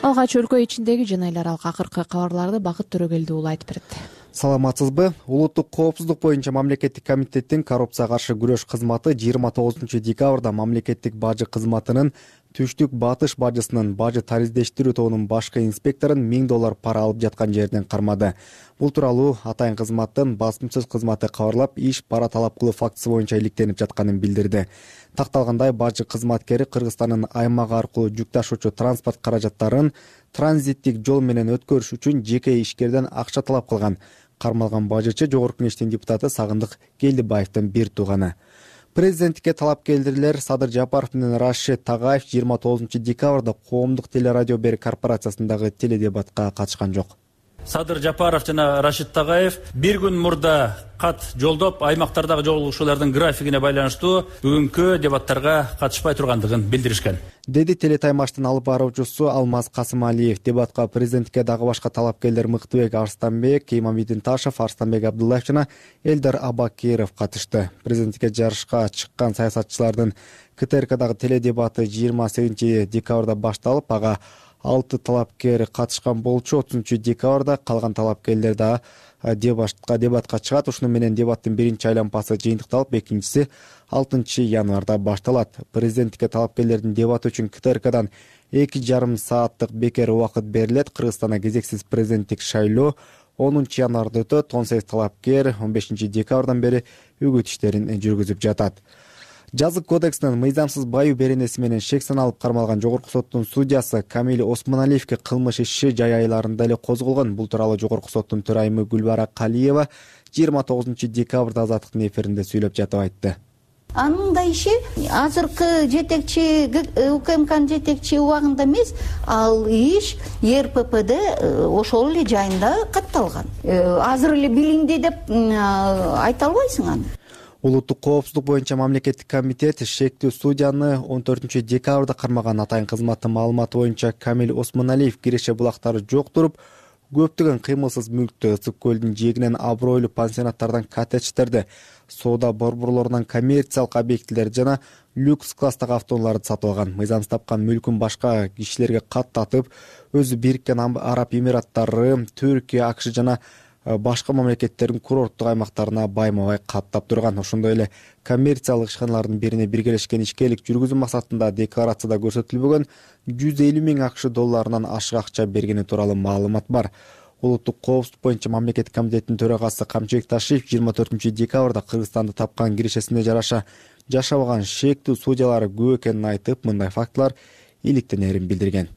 Алгач өлкө ичиндеги жана эл аралык акыркы кабарларды Бакыт Төрөгелди уулу айтып берет. Саламатсызбы? Улуттук коопсуздук боюнча мамлекеттик комитеттин коррупцияга каршы күрөш кызматы жыйырма тогузунчу декабрда мамлекеттик бажы кызматынын Түштүк Батыш бажысынын бажы тариздештирүү тобунун башкы инспекторун миң доллар пара алып жаткан жеринен кармады. Бул тууралуу атайын кызматтын басмасөз кызматы кабарлап, иш пара талап кылуу фактысы боюнча иликтенип жатканын билдирди. Такталгандай, бажы кызматкери Кыргызстандын аймагы аркылуу жүк ташуучу транспорт каражаттарын транзиттик жол менен өткөрүш үчүн жеке ишкерден акча талап кылган. Кармалган бажычы Жогорку Кеңештин депутаты Сагындык Келдибаевдин бир тууганы. Президенттикке талапкерлер Садыр Жапаров менен Рашид Тагаев жыйырма тогузунчу декабрда коомдук телерадио берүү корпорациясындагы теледебатка катышкан жок. Садыр Жапаров жана Рашид Тагаев бир күн мурда кат жолдоп, аймактардагы жолугушуулардын графигине байланыштуу бүгүнкү дебаттарга катышпай тургандыгын билдиришкен, деди телетаймаштын алып баруучусу Алмаз Касымалиев. Дебатка президенттикке дагы башка талапкерлер Мыктыбек Арстанбек, Имамидин Ташев, Арстанбек Абдуллаев жана Элдар Абакиров катышты. Президенттикке жарышка чыккан саясатчылардын КТРКдагы теледебаты жыйырма сегизинчи декабрда башталып, ага алты талапкер катышкан болчу. отузунчу декабрда калган талапкерлер да дебатка дебатка чыгат. Ушуну менен дебаттын биринчи айланпасы жыйынтыкталып, экинчиси алтынчы январда башталат. Президенттикке талапкерлердин дебаты үчүн КТРКдан эки жарым сааттык бекер убакыт берилет. Кыргызстанда кезексиз президенттик шайлоо онунчу январда өтөт. он сегиз талапкер он бешинчи декабрдан бери үгүт иштерин жүргүзүп жатат. Жазык кодексинин мыйзамсыз баюу беренеси менен шек саналып кармалган Жогорку соттун судьясы Камил Осмоналиевге кылмыш иши жай айларында эле козголгон. Бул тууралуу Жогорку соттун төрайымы Гүлбара Калиева жыйырма тогузунчу декабрда Азаттыктын эфиринде сүйлөп жатып айтты. Анын да иши азыркы жетекчи УКМКнын жетекчи убагында эмес, ал иш РППде ошол эле жайында катталган. Азыр эле билинди деп айта албайсың аны. Улуттук коопсуздук боюнча мамлекеттик комитет шектүү судьяны он төртүнчү декабрда кармаган. Атайын кызматтын маалыматы боюнча Камил Осмоналиев киреше булактары жок туруп, көптөгөн кыймылсыз мүлктү, Ысык көлдүн жээгинен абройлуу пансионаттардан коттедждерди, соода борборлорунан коммерциялык объектилерди жана люкс класстагы автоунааларды сатып алган. Мыйзамсыз тапкан мүлкүн башка кишилерге каттатып, өзү Бириккен Араб Эмираттары, Түркия, АКШ жана башка мамлекеттердин курорттук аймактарына байма бай каттап турган. Ошондой эле коммерциялык ишканалардын бирине биргелешкен ишкерлик жүргүзүү максатында декларацияда көрсөтүлбөгөн жүз элүү миң акш долларынан ашык акча бергени тууралуу маалымат бар. Улуттук коопсуздук боюнча мамлекеттик комитеттин төрагасы Камчыбек Ташиев жыйырма төртүнчү декабрда Кыргызстанды тапкан киришесине жараша жашабаган шектүү судьялар көп экенин айтып, мындай фактылар иликтенерин билдирген.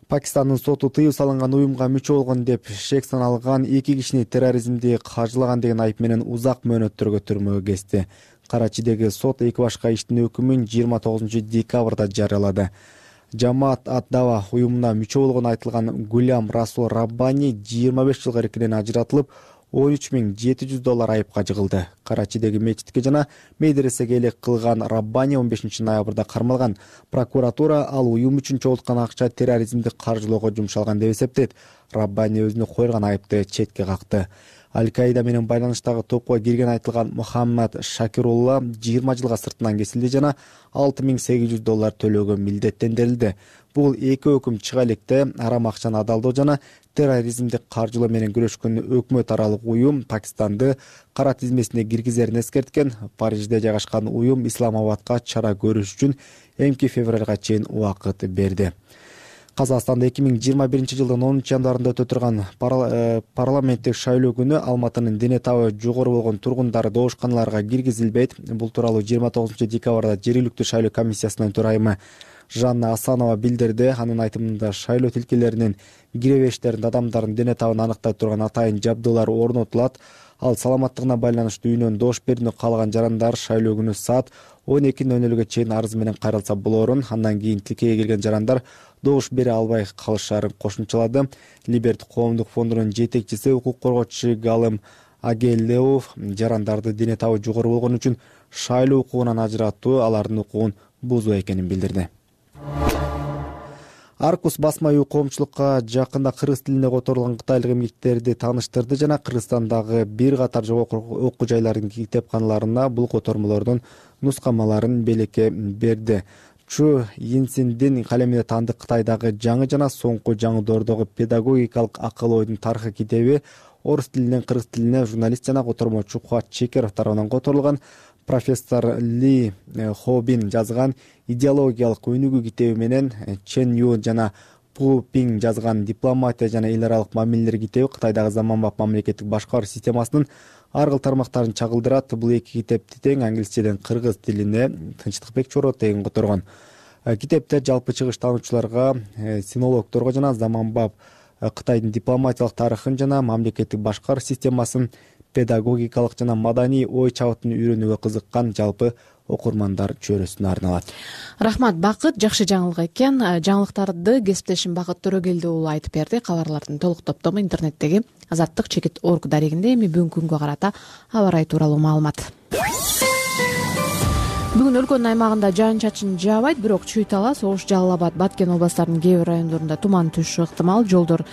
Пакистандын соту тыюу салынган уюмга мүчө болгон деп шек саналган эки кишини терроризмди каржылаган деген айып менен узак мөөнөттөргө түрмөгө кести. Карачидеги сот эки башка иштин өкүмүн жыйырма тогузунчу декабрда жарыялады. Жамаат ат-Дава уюмуна мүчө болгону айтылган Гулям Расул Раббани жыйырма беш жылга эркинен ажыратылып, он үч миң жети жүз доллар айыпка жыгылды. Карачидеги мечитке жана медресеге элек кылган Раббани он бешинчи ноябрда кармалган. Прокуратура ал уюм үчүн чогулткан акча терроризмди каржылоого жумшалган деп эсептейт. Раббани өзүнө койгон айыпты четке какты. Аль-Каида менен байланыштагы топко кирген айтылган Мухаммад Шакирулла жыйырма жылга сыртынан кесилди жана алты миң сегиз жүз доллар төлөөгө милдеттендирилди. Бул эки өкүм чыга электе арам акчаны адалдоо жана терроризмди каржылоо менен күрөшкөн өкмөт аралык уюм Пакистанды кара тизмесине киргизерин эскерткен. Парижде жайгашкан уюм Исламабадка чара көрүш үчүн эмки февралга чейин убакыт берди. Казакстанда эки миң жыйырма биринчи жылдын онунчу январында өтө турган парламенттик шайлоо күнү Алматынын дене табы жогору болгон тургундары доошканаларга киргизилбейт. Бул тууралуу жыйырма тогузунчу декабрда жергиликтүү шайлоо комиссиясынын төрайымы Жанна Асанова билдирди. Анын айтымында шайлоо тилкелеринин киребештеринде адамдардын дене табын аныктай турган атайын жабдуулар орнотулат. Ал саламаттыгына байланыштуу үйүнөн доош берүүнү каалаган жарандар шайлоо күнү саат он эки ноль нөлгө чейин арыз менен кайрылса болорун, андан кийин тилкеге келген жарандар доош бере албай калышарын кошумчалады. Либерт коомдук фондунун жетекчиси укук коргоочу Галым Агелеов жарандарды дене табы жогору болгон үчүн шайлоо укугунан ажыратуу алардын укугун бузуу экенин билдирди. Аркус басма үй коомчулукка жакында кыргыз тилинде которулган кытайлык эмгектерди тааныштырды жана Кыргызстандагы бир катар жогорку окуу жайлардын китепканаларына бул котормолордун нускамаларын белекке берди. Чу Йинсиндин калемине таандык Кытайдагы жаңы жана соңку жаңыдоордогу педагогикалык акыл ойдун тарыхы китеби орус тилинен кыргыз тилине журналист жана котормочу Кубат Чекеров тарабынан которулган. Профессор Ли Хобин жазган идеологиялык өнүгүү китеби менен Чен Ю жана Пу Пинг жазган дипломатия жана эл аралык мамилелер китеби Кытайдагы заманбап мамлекеттик башкаруу системасынын ар кыл тармактарын чагылдырат. Бул эки китепти тең англисчеден кыргыз тилине Тынчтыкбек Чоро тегин которгон. Китептер жалпы чыгыш таануучуларга, синологдорго жана заманбап Кытайдын дипломатиялык тарыхын жана мамлекеттик башкаруу системасын педагогикалык жана маданий ой чабытын үйрөнүүгө кызыккан жалпы окурмандар чөйрөсүнө арналат. Рахмат, Бакыт, жакшы жаңылык экен. Жаңылыктарды кесиптешим Бакыт Төрөгелди уулу айтып берди. Кабарлардын толук топтому интернеттеги азаттык чекит точка орг дарегинде. Эми бүгүнкү күнгө карата аба ырайы тууралуу маалымат. Бүгүн өлкөнүн аймагында жаан чачын жаабайт, бирок Чүй-Талас, Ош, Жалал Абад, Баткен областарынын кээ бир райондорунда туман түшүшү ыктымал. Жолдор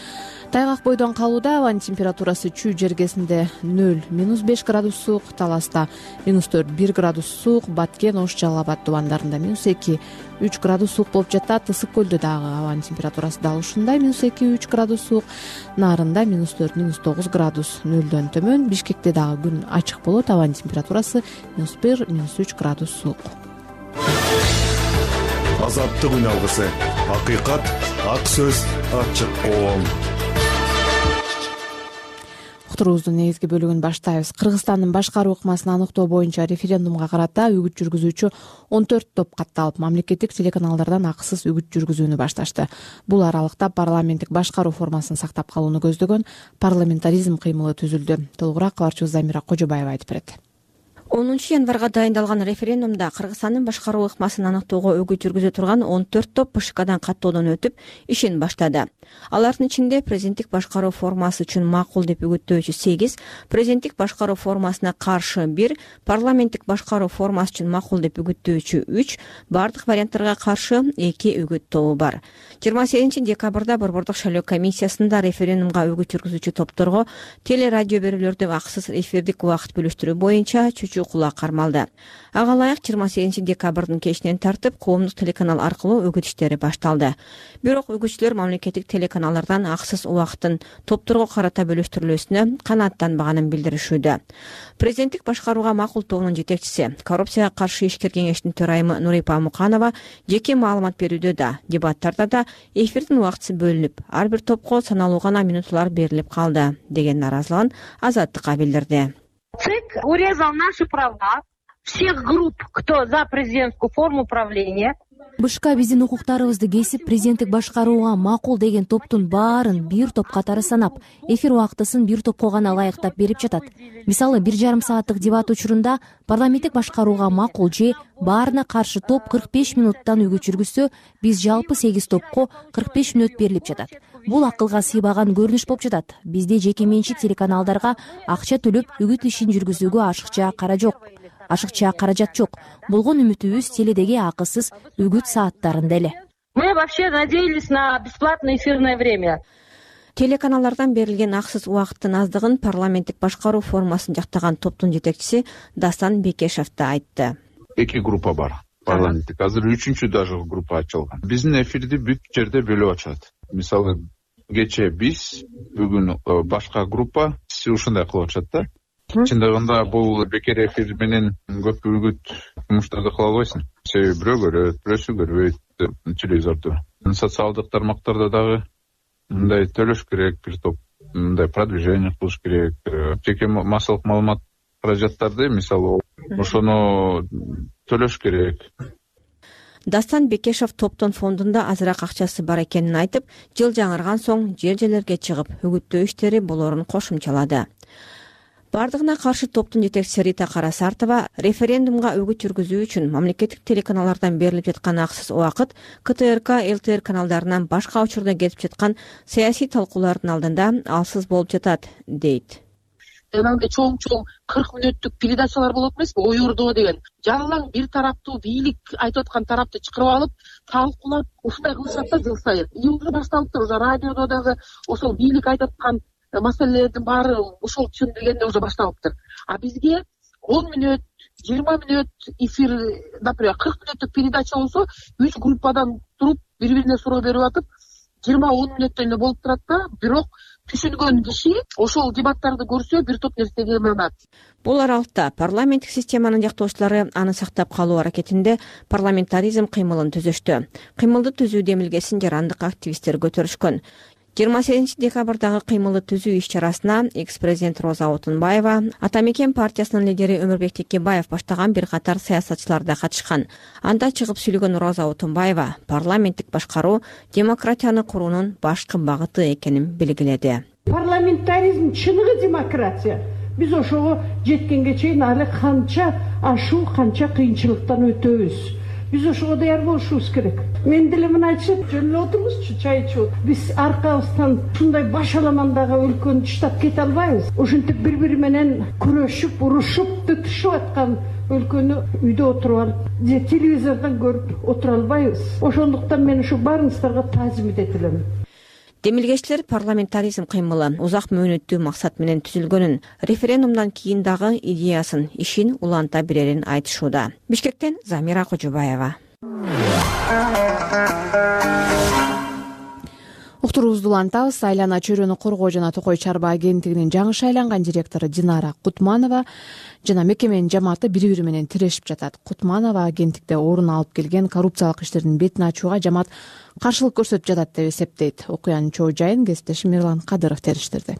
тайгак бойдон калууда. Абанын температурасы Чүй жергесинде нөл минус беш градус суук, Таласта минус төрт бир градус суук, Баткен, Ош, Жалал Абад тубандарында минус эки үч градус суук болуп жатат. Ысык көлдө дагы абанын температурасы дал ушундай, минус эки үч градус суук, Нарында минус төрт минус тогуз градус, нөлдөн төмөн. Бишкекте дагы күн ачык болот, абанын температурасы минус бир минус үч градус суук. Азаттык үн алгысы, акыйкат, ак сөз, ачык коом. Уктуруубуздун негизги бөлүгүн баштайбыз. Кыргызстандын башкаруу ыкмасын аныктоо боюнча референдумга карата үгүт жүргүзүүчү он төрт топ катталып, мамлекеттик телеканалдардан акысыз үгүт жүргүзүүнү башташты. Бул аралыкта парламенттик башкаруу формасын сактап калууну көздөгөн парламентаризм кыймылы түзүлдү. Толугураак кабарчыбыз Замира Кожобаева айтып берет. онунчу январга дайындалган референдумда Кыргызстандын башкаруу ыкмасын аныктоого өгүт жүргүзө турган он төрт топ ПШКдан каттоодон өтүп, ишин баштады. Алардын ичинде президенттик башкаруу формасы үчүн макул деп үгүттөөчү сегиз, президенттик башкаруу формасына каршы бир, парламенттик башкаруу формасы үчүн макул деп үгүттөөчү үч, бардык варианттарга каршы эки үгүт тобу бар. жыйырма сегизинчи декабрда Борбордук шайлоо комиссиясында референдумга үгүт жүргүзүүчү топторго теле радио берүүлөрдө акысыз эфирдик убакыт бөлүштүрүү боюнча чүчү кулак кармалды. Ага ылайык жыйырма сегизинчи декабрдын кечинен тартып коомдук телеканал аркылуу үгүт иштери башталды. Бирок үгүтчүлөр мамлекеттик телеканалдардан акысыз убакыттын топторго карата бөлүштүрүлүүсүнө канааттанбаганын билдиришүүдө. Президенттик башкарууга макул тобунун жетекчиси, коррупцияга каршы ишкер кеңештин төрайымы Нурипа Муканова жеке маалымат берүүдө да, дебаттарда да эфирдин убактысы бөлүнүп, ар бир топко саналуу гана минуталар берилип калды деген наразылыгын Азаттыкка билдирди. ЦИК урезал наши права всех групп, кто за президентскую форму управления. БШК биздин укуктарыбызды кесип, президенттик башкарууга макул деген топтун баарын бир топ катары санап, эфир убактысын бир топко гана ылайыктап берип жатат. Мисалы, бир жарым сааттык дебат учурунда парламенттик башкарууга макул же баарына каршы топ кырк беш минуттан үгүт жүргүзсө, биз жалпы сегиз топко кырк беш мүнөт берилип жатат. Бул акылга сыйбаган көрүнүш болуп жатат. Бизде жеке менчик телеканалдарга акча төлөп үгүт ишин жүргүзүүгө ашыкча кара жок. Ашыкча каражат жок. Болгон үмүтүбүз теледеги акысыз үгүт сааттарында эле. Мы вообще надеялись на бесплатное эфирное время. Телеканалдардан берилген акысыз убакыттын аздыгын парламенттик башкаруу формасын жактаган топтун жетекчиси Дастан Бекешев да айтты. Эки группа бар. Парламенттик азыр үчүнчү даже группа ачылган. Биздин эфирди бүт жерде бөлүп ачат. Мисалы, кечээ биз, бүгүн башка группа ушундай кылып атышат да. Чындыгында бул бекер эфир менен көп үгүт жумуштарды кыла албайсың. Себеби бирөө көрөт, бирөөсү көрбөйт телевизорду. Социалдык тармактарда дагы мындай төлөш керек, бир топ мындай продвижение кылыш керек. Жеке массалык маалымат каражаттарды, мисалы, ошону төлөш керек. Дастан Бекешев топтун фондунда азыраак акчасы бар экенин айтып, жыл жаңырган соң жер-жерлерге чыгып үгүттөө иштери болорун кошумчалады. Бардыгына каршы топтун жетекчиси Рита Карасартова референдумга үгүт жүргүзүү үчүн мамлекеттик телеканалдардан берилип жаткан акысыз убакыт КТРК, ЛТР каналдарынан башка учурда кетип жаткан саясий талкуулардын алдында алсыз болуп жатат, дейт. Жанагындай чоң-чоң кырк мүнөттүк передачалар болот эмеспи, ой ордоо деген. Жалаң бир тараптуу бийлик айтып аткан тарапты чакырып алып, талкуулап, ушундай кылышат да жыл сайын. Июлда башталыптыр, уже радиодо дагы ошол бийлик айтып аткан маселелердин баары ошол түшүндүргөндө уже башталыптыр. А бизге он мүнөт, жыйырма мүнөт эфир, например, кырк мүнөттүк передача болсо, үч группадан туруп, бири-бирине суроо берип атып, жыйырма он мүнөттөн эле болуп турат да, бирок түшүнгөн киши ошол дебаттарды көрсө бир топ нерсеге ынанат. Бул аралыкта парламенттик системанын жактоочулары аны сактап калуу аракетинде парламентаризм кыймылын түзүштү. Кыймылды түзүүдө эмилгесин жарандык активисттер көтөрүшкөн. жыйырма сегизинчи декабрдагы кыймылды түзүү иш-чарасына экс-президент Роза Отунбаева, Ата Мекен партиясынын лидери Өмүрбек Текебаев баштаган бир катар саясатчылар да катышкан. Анда чыгып сүйлөгөн Роза Отунбаева парламенттик башкаруу демократияны куруунун башкы багыты экенин белгиледи. Парламентаризм чыныгы демократия. Биз ошого жеткенге чейин али канча ашуу, канча кыйынчылыктан өтөбүз. Биз ошого даяр болушубуз керек. Мен деле мына айтышат, жөн эле отурбузчу, чай ичип. Биз аркабыздан ушундай баш аламандагы өлкөнү таштап кете албайбыз. Ошентип бири-бири менен күрөшүп, урушуп, тытышып аткан өлкөнү үйдө отуруп алып, же телевизордон көрүп отура албайбыз. Ошондуктан мен ушу баарыңыздарга таазим этелем. Демилгечилер парламентаризм кыймылы узак мөөнөттүү максат менен түзүлгөнүн, референдумдан кийин дагы идеясын, ишин уланта берерин айтышууда. Бишкектен Замира Кожобаева. Уктуруубузду улантабыз. Айлана чөйрөнү коргоо жана Токой чарба агенттигинин жаңы шайланган директору Динара Кутманова жана мекеменин жамааты бири-бири менен тирешип жатат. Кутманова агенттикте орун алып келген коррупциялык иштердин бетин ачууга жамаат каршылык көрсөтүп жатат деп эсептейт. Окуянын чоо жайын кесиптешим Мирлан Кадыров териштирди.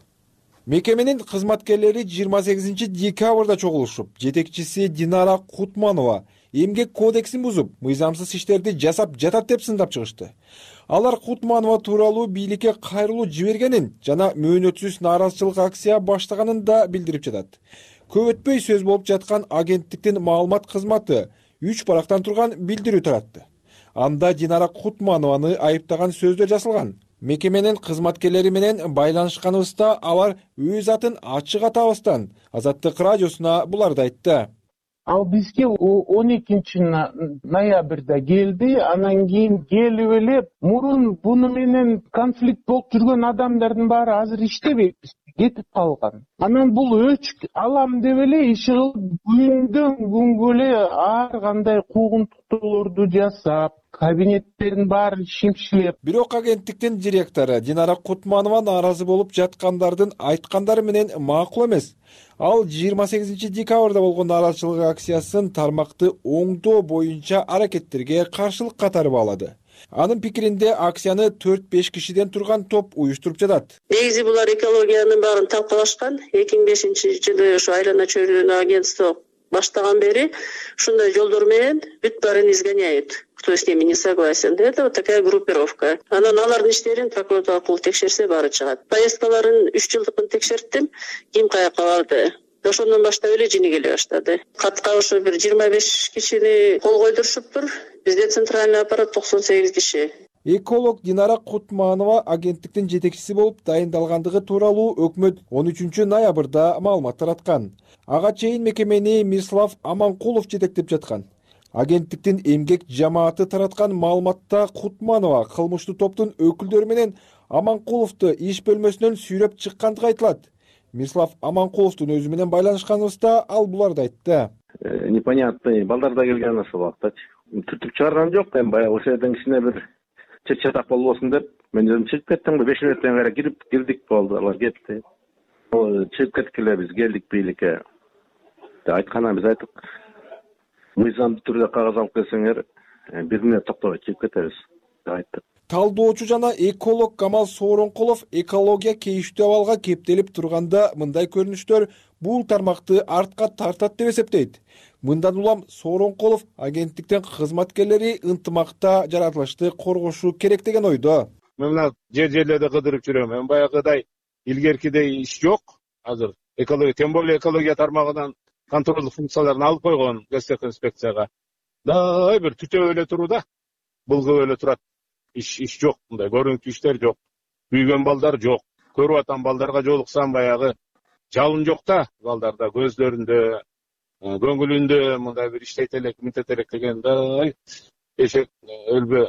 Мекеменин кызматкерлери жыйырма сегизинчи декабрда чогулушуп, жетекчиси Динара Кутманова эмгек кодексин бузуп, мыйзамсыз иштерди жасап жатат деп сындап чыгышты. Алар Кутманова тууралуу бийликке кайрылуу жибергенин жана мөөнөтсүз нааразычылык акция баштаганын да билдирип жатат. Көп өтпөй сөз болуп жаткан агенттиктин маалымат кызматы үч барактан турган билдирүү таратты. Анда Динара Кутманованы айыптаган сөздөр жазылган. Мекеменин кызматкерлери менен байланышканыбызда алар өз атын ачык атабастан Азаттык радиосуна буларды айтты. Ал бизге он экинчи ноябрда келди, анан кийин келип эле мурун буну менен конфликт болуп жүргөн адамдардын баары азыр иштебейт бизде. кетип калган. Анан бул өч алам деп эле иш кылып күндөн күнгө эле ар кандай куугунтуктоолорду жасап, кабинеттерин баарын шимшилеп. Бирок агенттиктин директору Динара Кутманова нааразы болуп жаткандардын айткандары менен макул эмес. Ал жыйырма сегизинчи декабрда болгон нааразычылык акциясын тармакты оңдоо боюнча аракеттерге каршылык катары баалады. Анын пикиринде акцияны төрт беш кишиден турган топ уюштуруп жатат. Негизи булар экологиянын баарын талкалашкан. эки миң бешинчи жылы ошо айлана чөйрөнү агентство баштаган бери ушундай жолдор менен бүт баарын изгоняют. Кто с ними не согласен. Это вот такая группировка. Анан алардын иштерин прокуратура аркылуу текшерсе баары чыгат. Поездкаларын үч жылдыкын текшерттим. Ким каяка барды? Ошондон баштап эле жини келе баштады. Катка ошо бир жыйырма беш кишини кол койдурушуптур. Бизде центральный аппарат токсон сегиз киши. Эколог Динара Кутманова агенттиктин жетекчиси болуп дайындалгандыгы тууралуу өкмөт он үчүнчү ноябрда маалымат тараткан. Ага чейин мекемени Мирслав Аманкулов жетектеп жаткан. Агенттиктин эмгек жамааты тараткан маалыматта Кутманова кылмыштуу топтун өкүлдөрү менен Аманкуловду иш бөлмөсүнөн сүйрөп чыккандыгы айтылат. Мирслав Аманкуловдун өзү менен байланышканыбызда ал буларды айтты. Непонятный балдар да келген ошол убакта. Түртүп чыгарган жок, эми баягы ошол жерден кичине бир чет-чатак болбосун деп мен өзүм чыгып кеттим. беш мүнөттөн кайра кирип кирдик болду, алар кетти. Ал чыгып кеттик эле биз келдик бийликке. Айтканын биз айттык. Мыйзамдуу түрдө кагаз алып келсеңер, бир мүнөт токтобой чыгып кетебиз деп айттык. Талдоочу жана эколог Камал Сооронкулов экология кейиштүү абалга кептелип турганда мындай көрүнүштөр бул тармакты артка тартат деп эсептейт. Мындан улам Сооронкулов агенттиктин кызматкерлери ынтымакта жаратылышты коргошу керек деген ойдо. Мен мына жер-жерлерде кыдырып жүрөм. Мен баягыдай илгеркидей иш жок азыр. Экология, тем более экология тармагынан контролдук функцияларын алып койгон Гостех инспекцияга. Дай бир түтөп эле туруда, булгуп эле турат. Иш иш жок, мындай көрүнүктүү иштер жок. Күйгөн балдар жок. Көрүп атам балдарга жолуксам баягы жалын жок да, балдарда көзлөрүндө, көңүлүндө мындай бир иштейт элек, мынтет элек дегенде эшек өлбө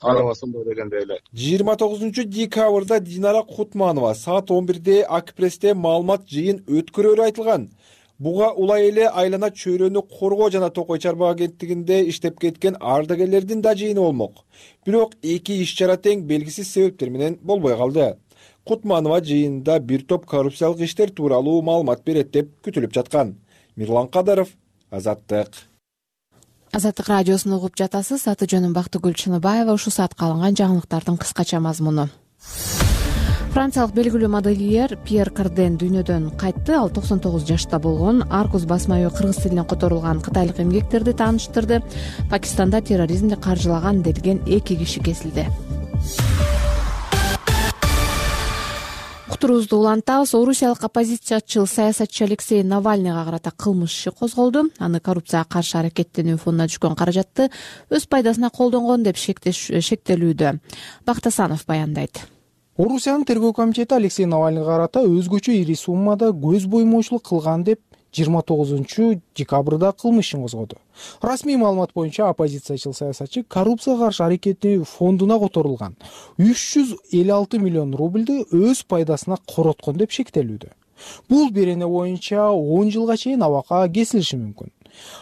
карабасын да дегендей эле. жыйырма тогузунчу декабрда Динара Кутманова саат он бирде Акпрессте маалымат жыйын өткөрөрү айтылган. Буга улай эле айлана чөйрөнү коргоо жана токой чарба агенттигинде иштеп кеткен ардагерлердин да жыйыны болмок. Бирок эки иш-чара тең белгисиз себептер менен болбой калды. Кутманова жыйында бир топ коррупциялык иштер тууралуу маалымат берет деп күтүлүп жаткан. Мирлан Кадаров, Азаттык. Азаттык радиосун угуп жатасыз. Аты жөнүм Бактыгүл Чыныбаева. Ушул саатка алынган жаңылыктардын кыскача мазмуну. Франциялык белгилүү модельер Пьер Карден дүйнөдөн кайтты. Ал токсон тогуз жашта болгон. Аркус басма үй кыргыз тилине которулган кытайлык эмгектерди тааныштырды. Пакистанда терроризмди каржылаган делген эки киши кесилди. Кутурубузду улантабыз. Орусиялык оппозициячыл саясатчы Алексей Навальныйга карата кылмыш иши козголду. Аны коррупцияга каршы аракеттенүү фондуна түшкөн каражатты өз пайдасына колдонгон деп шектелүүдө. Бактасанов баяндайт. Орусиянын тергөө комитети Алексей Навальныйга карата өзгөчө ири суммада көз боймоочулук кылган деп жыйырма тогузунчу декабрда кылмыш ишин козгоду. Расмий маалымат боюнча оппозициячыл саясатчы коррупцияга каршы аракеттенүү фондуна которулган үч жүз элүү алты миллион рубльды өз пайдасына короткон деп шектелүүдө. Бул берене боюнча он жылга чейин абакка кесилиши мүмкүн.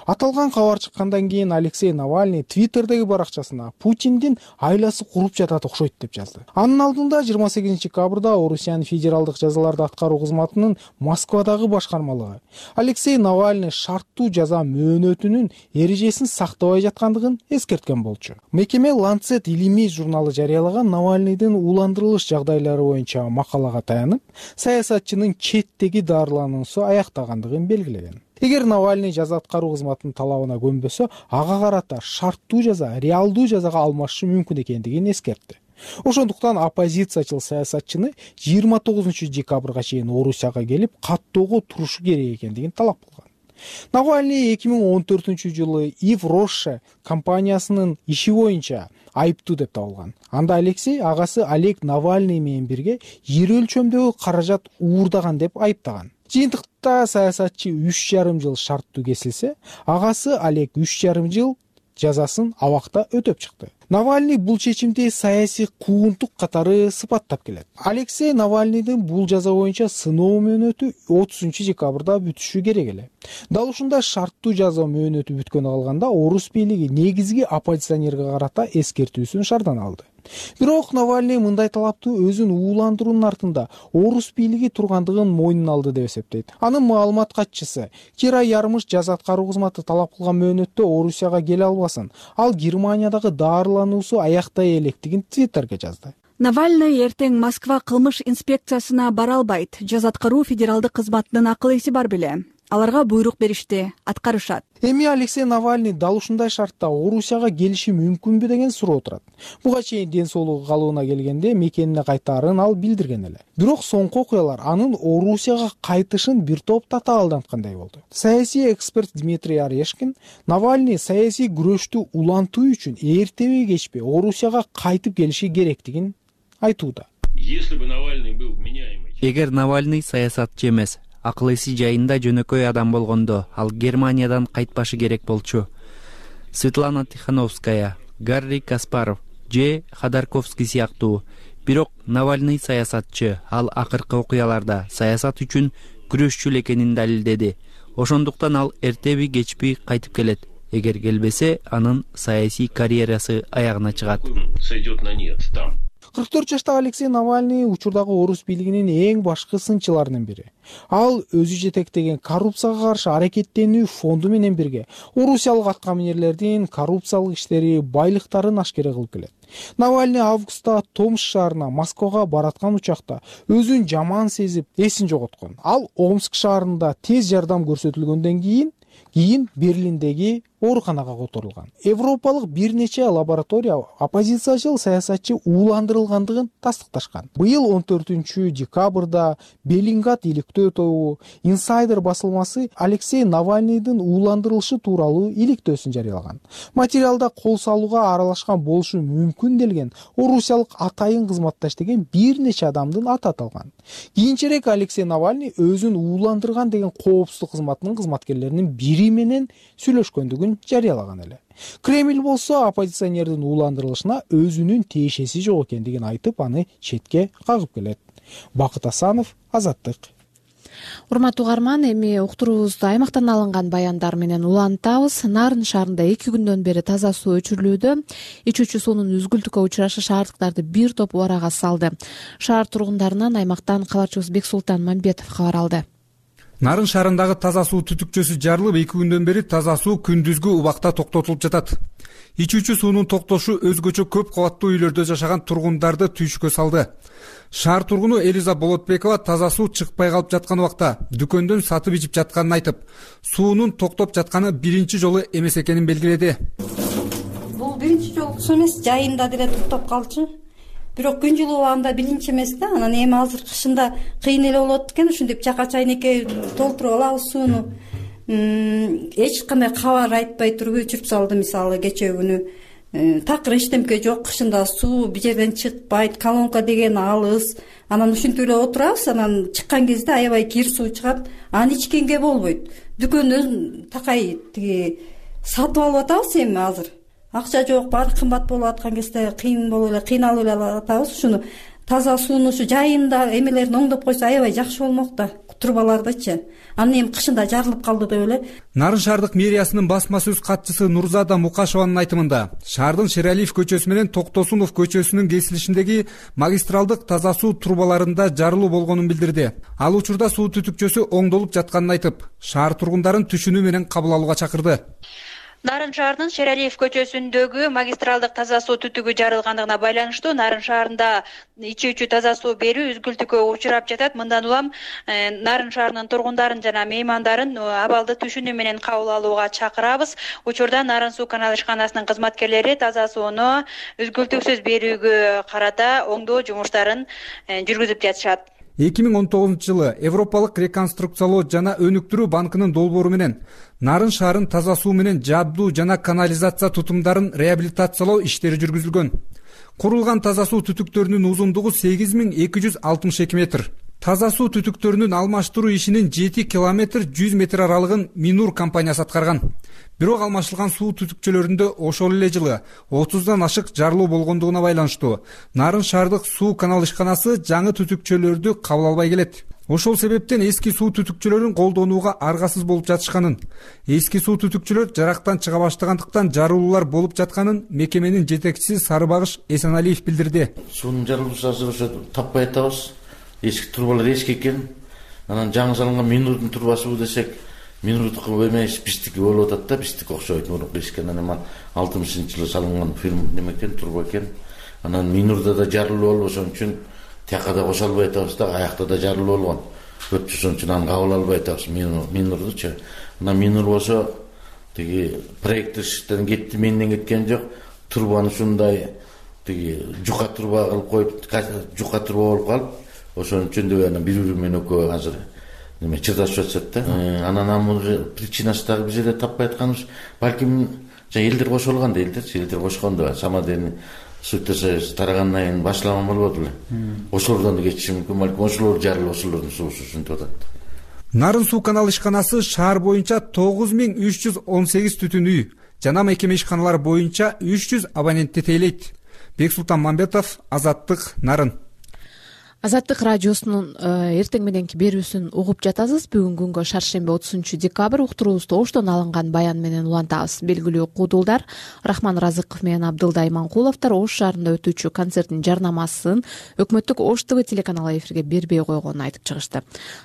Аталган кабар чыккандан кийин Алексей Навальный Твиттердеги баракчасына Путиндин айласы куруп жатат окшойт деп жазды. Анын алдында жыйырма сегизинчи декабрда Орусиянын федералдык жазаларды аткаруу кызматынын Москвадагы башкармалыгы Алексей Навальный шарттуу жаза мөөнөтүнүн эрежесин сактабай жаткандыгын эскерткен болчу. Мекеме Lancet илимий журналы жарыялаган Навальныйдын уландырылыш жагдайлары боюнча макалага таянып, саясатчынын четтеги дарылануусу аяктагандыгын белгилеген. Эгер Навальный жаза аткаруу кызматынын талабына көнбөсө, ага карата шарттуу жаза реалдуу жазага алмашы мүмкүн экендигин эскертти. Ошондуктан оппозициячыл саясатчыны жыйырма тогузунчу декабрга чейин Орусияга келип, каттоого турушу керек экендигин талап кылган. Навальный эки миң он төртүнчү жылы Ив Роше компаниясынын иши боюнча айыптуу деп табылган. Анда Алексей агасы Олег Навальный менен бирге жер өлчөмдөгү каражат уурдаган деп айыптаган. Жыйынтыкта саясатчы үч жарым жыл шарттуу кесилсе, агасы Олег үч жарым жыл жазасын абакта өтөп чыкты. Навальный бул чечимди саясий куугунтук катары сыпаттап келет. Алексей Навальныйдын бул жаза боюнча сыноо мөөнөтү отузунчу декабрда бүтүшү керек эле. Дал ушундай шарттуу жаза мөөнөтү бүткөнү калганда орус бийлиги негизги оппозиционерге карата эскертүүсүн шаардан алды. Бирок Навальный мындай талапты өзүн ууландыруунун артында орус бийлиги тургандыгын мойнуна алды деп эсептейт. Анын маалымат катчысы Кира Ярмыш жаза аткаруу кызматы талап кылган мөөнөттө Орусияга келе албасын. Ал Германиядагы даарылануусу аяктай электигин Твиттерге жазды. Навальный эртең Москва кылмыш инспекциясына бара албайт. Жаза аткаруу федералдык кызматынын акыл эси бар беле. Аларга буйрук беришти, аткарышат. Эми Алексей Навальный дал ушундай шартта Орусияга келиши мүмкүнбү деген суроо турат. Буга чейин ден соолугу калыбына келгенде мекенине кайтаарын ал билдирген эле. Бирок соңку окуялар анын Орусияга кайтышын бир топ татаалданткандай болду. Саясий эксперт Дмитрий Орешкин Навальный саясий күрөштү улантуу үчүн эртеби кечпей Орусияга кайтып келиши керектигин айтууда. Эгер Навальный саясатчы эмес, акыл эси жайында жөнөкөй адам болгондо ал Германиядан кайтпашы керек болчу. Светлана Тихановская, Гарри Каспаров же Ходорковский сыяктуу. Бирок Навальный саясатчы, ал акыркы окуяларда саясат үчүн күрөшчү экенин далилдеди. Ошондуктан ал эртеби кечпи кайтып келет. Эгер келбесе, анын саясий карьерасы аягына чыгат. кырк төрт жаштагы Алексей Навальный учурдагы орус бийлигинин эң башкы сынчыларынын бири. Ал өзү жетектеген коррупцияга каршы аракеттенүү фонду менен бирге орусиялык аткаминерлердин коррупциялык иштери, байлыктарын ашкере кылып келет. Навальный августта Томск шаарына Москвага бараткан учакта өзүн жаман сезип, эсин жоготкон. Ал Омск шаарында тез жардам көрсөтүлгөндөн кийин кийин Берлиндеги ооруканага которулган. Европалык бир нече лаборатория оппозициячыл саясатчы ууландырылгандыгын тастыкташкан. Быйыл он төртүнчү декабрда Беллингат иликтөө тобу Insider басылмасы Алексей Навальныйдын ууландырылышы тууралуу иликтөөсүн жарыялаган. Материалда кол салууга аралашкан болушу мүмкүн делген орусиялык атайын кызматташ деген бир нече адамдын аты аталган. Кийинчерээк Алексей Навальный өзүн ууландырган деген коопсуздук кызматынын кызматкерлеринин бири менен сүйлөшкөндүгүн жарыялаган эле. Кремль болсо оппозиционердин ууландырылышына өзүнүн тиешеси жок экендигин айтып, аны четке кагып келет. Бакыт Асанов, Азаттык. Урматтуу угарман, эми уктуруубузду аймактан алынган баяндар менен улантабыз. Нарын шаарында эки күндөн бери таза суу өчүрүлүүдө. Ичүүчү суунун үзгүлтүккө учурашы шаардыктарды бир топ убарага салды. Шаар тургундарынан аймактан кабарчыбыз Бексултан Мамбетов кабар алды. Нарын шаарындагы таза суу түтүкчөсү жарылып, эки күндөн бери таза суу күндүзгү убакта токтотулуп жатат. Ичүүчү суунун токтошу өзгөчө көп кабаттуу үйлөрдө жашаган тургундарды түйшүккө салды. Шаар тургуну Элиза Болотбекова таза суу чыкпай калып жаткан убакта дүкөндөн сатып ичип жатканын айтып, суунун токтоп жатканы биринчи жолу эмес экенин белгиледи. Бул биринчи жолкусу эмес, жайында деле токтоп калчу. Бирок күн жылуу убагында биринчи эмес да, анан эми азыр кышында кыйын эле болот экен, ушинтип чака чайнекке толтуруп алабыз сууну. Эч кандай кабар айтпай туруп өчүрүп салды, мисалы кечээ күнү. Такыр эчтемке жок, кышында суу бир жерден чыкпайт, колонка деген алыс. Анан ушинтип эле отурабыз, анан чыккан кезде аябай кир суу чыгат, аны ичкенге болбойт. Дүкөндөн такай тиги сатып алып атабыз эми азыр. Акча жок, баары кымбат болуп аткан кезде кыйын болуп эле, кыйналып эле атабыз. Ушуну таза сууну ушу жайында эмелерин оңдоп койсо аябай жакшы болмок да, трубалардычы. Анан эми кышында жарылып калды деп эле. Нарын шаардык мэриясынын басма сөз катчысы Нурзада Мукашеванын айтымында, шаардын Шералиев көчөсү менен Токтосунов көчөсүнүн кесилишиндеги магистралдык таза суу трубаларында жарылуу болгонун билдирди. Ал учурда суу түтүкчөсү оңдолуп жатканын айтып, шаар тургундарын түшүнүү менен кабыл алууга чакырды. Нарын шаарынын Шералиев көчөсүндөгү магистралдык таза суу түтүгү жарылгандыгына байланыштуу Нарын шаарында ичүүчү таза суу берүү үзгүлтүккө учурап жатат. Мындан улам Нарын шаарынын тургундарын жана меймандарын абалды түшүнүү менен кабыл алууга чакырабыз. Учурда Нарын суу канал ишканасынын кызматкерлери таза сууну үзгүлтүксүз берүүгө карата оңдоо жумуштарын жүргүзүп жатышат. эки миң он тогузунчу жылы Европалык реконструкциялоо жана өнүктүрүү банкынын долбоору менен Нарын шаарын таза суу менен жабдуу жана канализация тутумдарын реабилитациялоо иштери жүргүзүлгөн. Курулган таза суу түтүктөрүнүн узундугу сегиз миң эки жүз алтымыш эки метр. таза суу түтүктөрүнүн алмаштыруу ишинин жети километр жүз метр аралыгын Минур компаниясы аткарган. Бирок алмашылган суу түтүкчөлөрүндө ошол эле жылы отуздан ашык жарылуу болгондугуна байланыштуу Нарын шаардык суу канал ишканасы жаңы түтүкчөлөрдү кабыл албай келет. Ошол себептен эски суу түтүкчөлөрүн колдонууга аргасыз болуп жатышканын, эски суу түтүкчөлөр жарактан чыга баштагандыктан жарылуулар болуп жатканын мекеменин жетекчиси Сарыбагыш Эсеналиев билдирди. Суунун жарылуусу азыр ошо таппай атабыз. Эски трубалар эски экен. Анан жаңы салынган Минурдун трубасыбы десек, Минурдуку эмес биздики болуп атат да, биздики окшойт. Мурунку эски анан алтымышынчы жылы салынган фирма неме экен, труба экен. Анан Минурда да жарылуу болуп, ошон үчүн тияка да кошо албай атабыз да, аякта да жарылуу болгон. Өтүп ошон үчүн аны кабыл албай атабыз Минурдучу. Анан Минур болсо тиги проекттештен кетти, менден кеткен жок. Трубаны ушундай тиги жука труба кылып коюп, жука труба болуп калып, ошон үчүн деп анан бири-бири менен экөө азыр неме чырдашып жатышат да. Анан анын причинасы дагы биз эле таппай атканыбыз, балким элдер кошулган элдерчи, элдер кошкондо самодельный сутта тарагандан кийин башлаган болбоду эле. Ошолордон да кетиши мүмкүн, балким ошолор жарылып ошолордун суусу ушинтип атат. Нарын суу канал ишканасы шаар боюнча тогуз миң үч жүз он сегиз түтүн үй жана мекеме ишканалары боюнча үч жүз абонентти тейлейт. Бексултан Мамбетов, Азаттык, Нарын. Азаттык радиосунун эртең мененки берүүсүн угуп жатасыз. Бүгүн күнгө шаршемби отузунчу декабрь уктуруубузду оштон алынган баян менен улантабыз. Белгилүү куудулдар Рахман Разыков менен Абдылда Иманкуловдор Ош шаарында өтүүчү концерттин жарнамасын өкмөттүк Ош ТВ телеканалы эфирге бербей койгонун айтып чыгышты.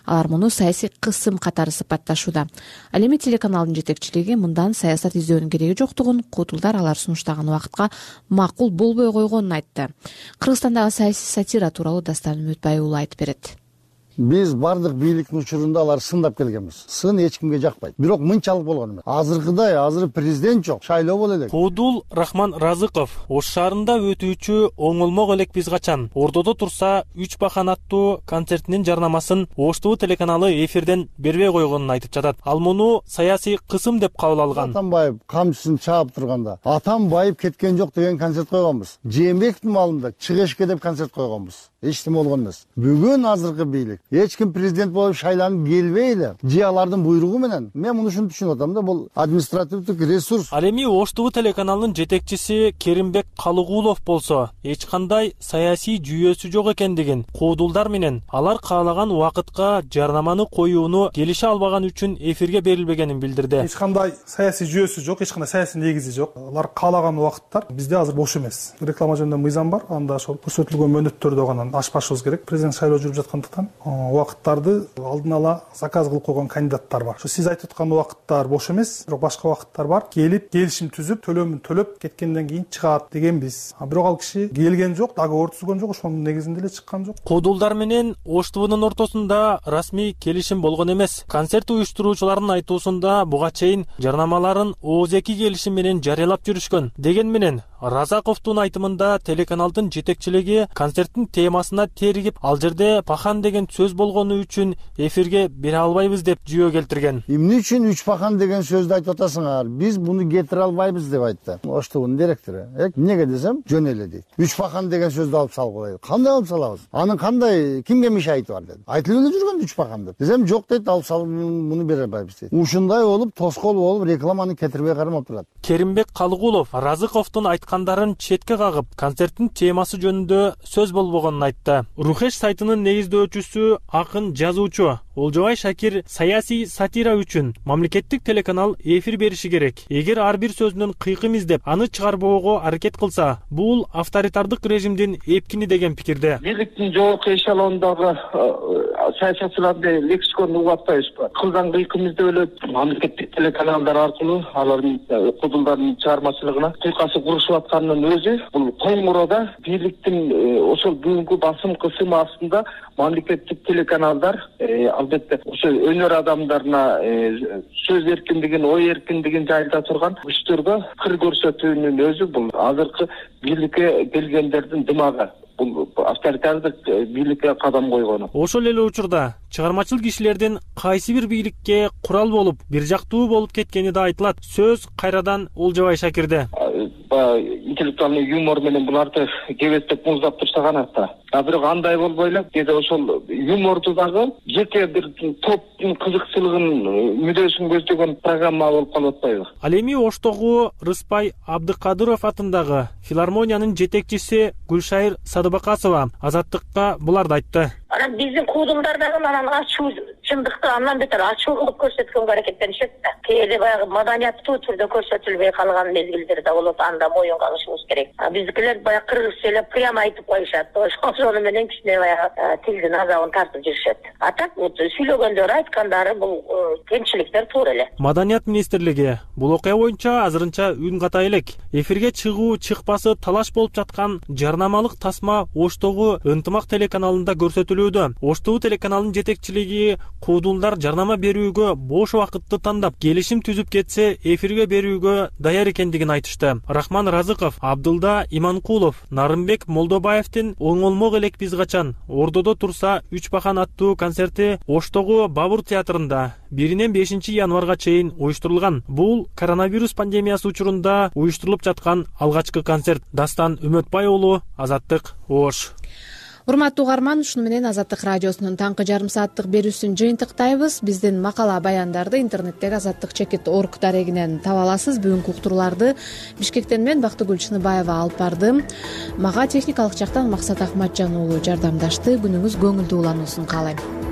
Алар муну саясий кысым катары сыпатташууда. Ал эми телеканалдын жетекчилиги мындан саясат издөөнүн кереги жоктугун, куудулдар алар сунуштаган убакытка макул болбой койгонун айтты. Кыргызстандагы саясий сатира тууралуу Дастан Үмүтбай уулу айтып берет. Биз бардык бийликтин учурунда алар сындап келгенбиз. Сын эч кимге жакпайт. Бирок мынчалык болгон эмес. Азыркыдай азыр президент жок, шайлоо боло элек. Куудул Рахман Разыков Ош шаарында өтүүчү оңолмок элек биз качан ордодо турса үч бахан аттуу концертинин жарнамасын Ош ТВ телеканалы эфирден бербей койгонун айтып жатат. Ал муну саясий кысым деп кабыл алган. Атамбаев камчысын чаап турганда Атамбаев кеткен жок деген концерт койгонбуз. Жээнбековдун маалында чыгышке деп концерт койгонбуз. Эч нерсе болгон эмес. Бүгүн азыркы бийлик эч ким президент болуп шайланып келбей эле же алардын буйругу менен, мен муну ушинтип түшүнүп атам да, бул административдик ресурс. Ал эми Ош ТВ телеканалынын жетекчиси Керимбек Калыгулов болсо эч кандай саясий жүйөсү жок экендигин, куудулдар менен алар каалаган убакытка жарнаманы коюуну келише албаган үчүн эфирге берилбегенин билдирди. Эч кандай саясий жүйөсү жок, эч кандай саясий негизи жок. Алар каалаган убакыттар бизде азыр бош эмес. Реклама жөнүндө мыйзам бар, анда ошол көрсөтүлгөн мөөнөттөрдө гана ашпашыбыз керек. Президент шайлоо жүрүп жаткандыктан убакыттарды алдын ала заказ кылып койгон кандидаттар бар. Ошо сиз айтып аткан убакыттар бош эмес, бирок башка убакыттар бар. Келип, келишим түзүп, төлөмүн төлөп кеткенден кийин чыгат дегенбиз. А бирок ал киши келген жок, договор түзгөн жок, ошонун негизинде эле чыккан жок. Куудулдар менен Ош ТВнын ортосунда расмий келишим болгон эмес. Концерт уюштуруучулардын айтуусунда буга чейин жарнамаларын ооз-эки келишим менен жарыялап жүрүшкөн. Деген менен Разаковдун айтымында телеканалдын жетекчилиги концерттин темасына тергип, ал жерде пахан деген сөз болгону үчүн эфирге бере албайбыз деп жүйө келтирген. Эмне үчүн үч пахан деген сөздү айтып атасыңар? Биз муну кетире албайбыз деп айтты. Ош ТВнын директору. Эмнеге десем, жөн эле дейт. Үч пахан деген сөздү алып салып коелу. Кандай алып салабыз? Анын кандай кимге мешайты бар деди. Айтылып эле жүргөн үч пахан деп. Десем, жок дейт, алып салып муну бере албайбыз дейт. Ушундай болуп, тоскоол болуп, рекламаны кетирбей кармап турат. Керимбек Калыгулов Разыковдун айткандарын четке кагып, концерттин темасы жөнүндө сөз болбогонун айтты. Рухеш сайтынын негиздөөчүсү, акын, жазуучу Олжобай Шакир саясий сатира үчүн мамлекеттик телеканал эфир бериши керек. Эгер ар бир сөзүнөн кыйкым издеп, аны чыгарбоого аракет кылса, бул авторитардык режимдин эпкини деген пикирде. Бийликтин жогорку эшелондогу саясатчыларды лексикон угуп атпайбызбы? Кылган кыйкымызды өлөт мамлекеттик телеканалдар аркылуу алардын куудулдардын чыгармачылыгына кыйкасы курушуп атканынын өзү бул коңуроодо бийликтин ошол бүгүнкү басым кысым астында мамлекеттик телеканалдар албетте ошо өнөр адамдарына сөз эркиндигин, ой эркиндигин жайылта турган күчтөргө кыр көрсөтүүнүн өзү бул азыркы бийликке келгендердин дымагы. Бул авторитардык бийликке кадам койгону. Ошол эле учурда чыгармачыл кишилердин кайсы бир бийликке курал болуп, бир жактуу болуп кеткени да айтылат. Сөз кайрадан Олжобай Шакирде. баягы интеллектуальный юмор менен буларды кебестеп муздап турса гана да. А бирок андай болбой эле кээде ошол юморду дагы жеке бир топтун кызыкчылыгын мүдөөсүн көздөгөн программа болуп калып атпайбы? Ал эми Оштогу Рыспай Абдыкадыров атындагы филармониянын жетекчиси Гүлшайыр Садыбакасова Азаттыкка буларды айтты. Анан биздин куудулдар дагы анан ачуу чындыкты андан бетер ачуулуп көрсөткөнгө аракеттенишет да. Кээде баягы маданияттуу түрдө көрсөтүлбөй калган мезгилдер да болот, анда моюнга алышыбыз керек. Биздикилер баягы кыргызча эле прямо айтып коюшат. Ошону менен кичине баягы тилдин азабын тартып жүрүшөт. А так сүйлөгөндөрү, айткандары бул кемчиликтер туура эле. Маданият министрлиги бул окуя боюнча азырынча үн ката элек. Эфирге чыгуу чыкпасы талаш болуп жаткан жарнамалык тасма Оштогу Ынтымак телеканалында көрсөтүлүүдө. Оштогу телеканалынын жетекчилиги куудулдар жарнама берүүгө бош убакытты тандап, келишим түзүп кетсе эфирге берүүгө даяр экендигин айтышты. Рахман Разыков, Абдылда Иманкулов, Нарымбек Молдобаевдин оңолмок элек биз качан Ордодо турса үч бахан аттуу концерти Оштогу Бабур театрында биринен бешинчи январга чейин уюштурулган. Бул коронавирус пандемиясы учурунда уюштурулуп жаткан алгачкы концерт. Дастан Үмөтбай уулу, Азаттык, Ош. Урматтуу угарман, ушуну менен Азаттык радиосунун таңкы жарым сааттык берүүсүн жыйынтыктайбыз. Биздин макала баяндарды интернеттеги азаттык чекит точка орг дарегинен таба аласыз. Бүгүнкү уктурууларды Бишкектен мен Бактыгүл Чыныбаева алып бардым. Мага техникалык жактан Максат Акматжан уулу жардамдашты. Күнүңүз көңүлдүү улануусун каалайм.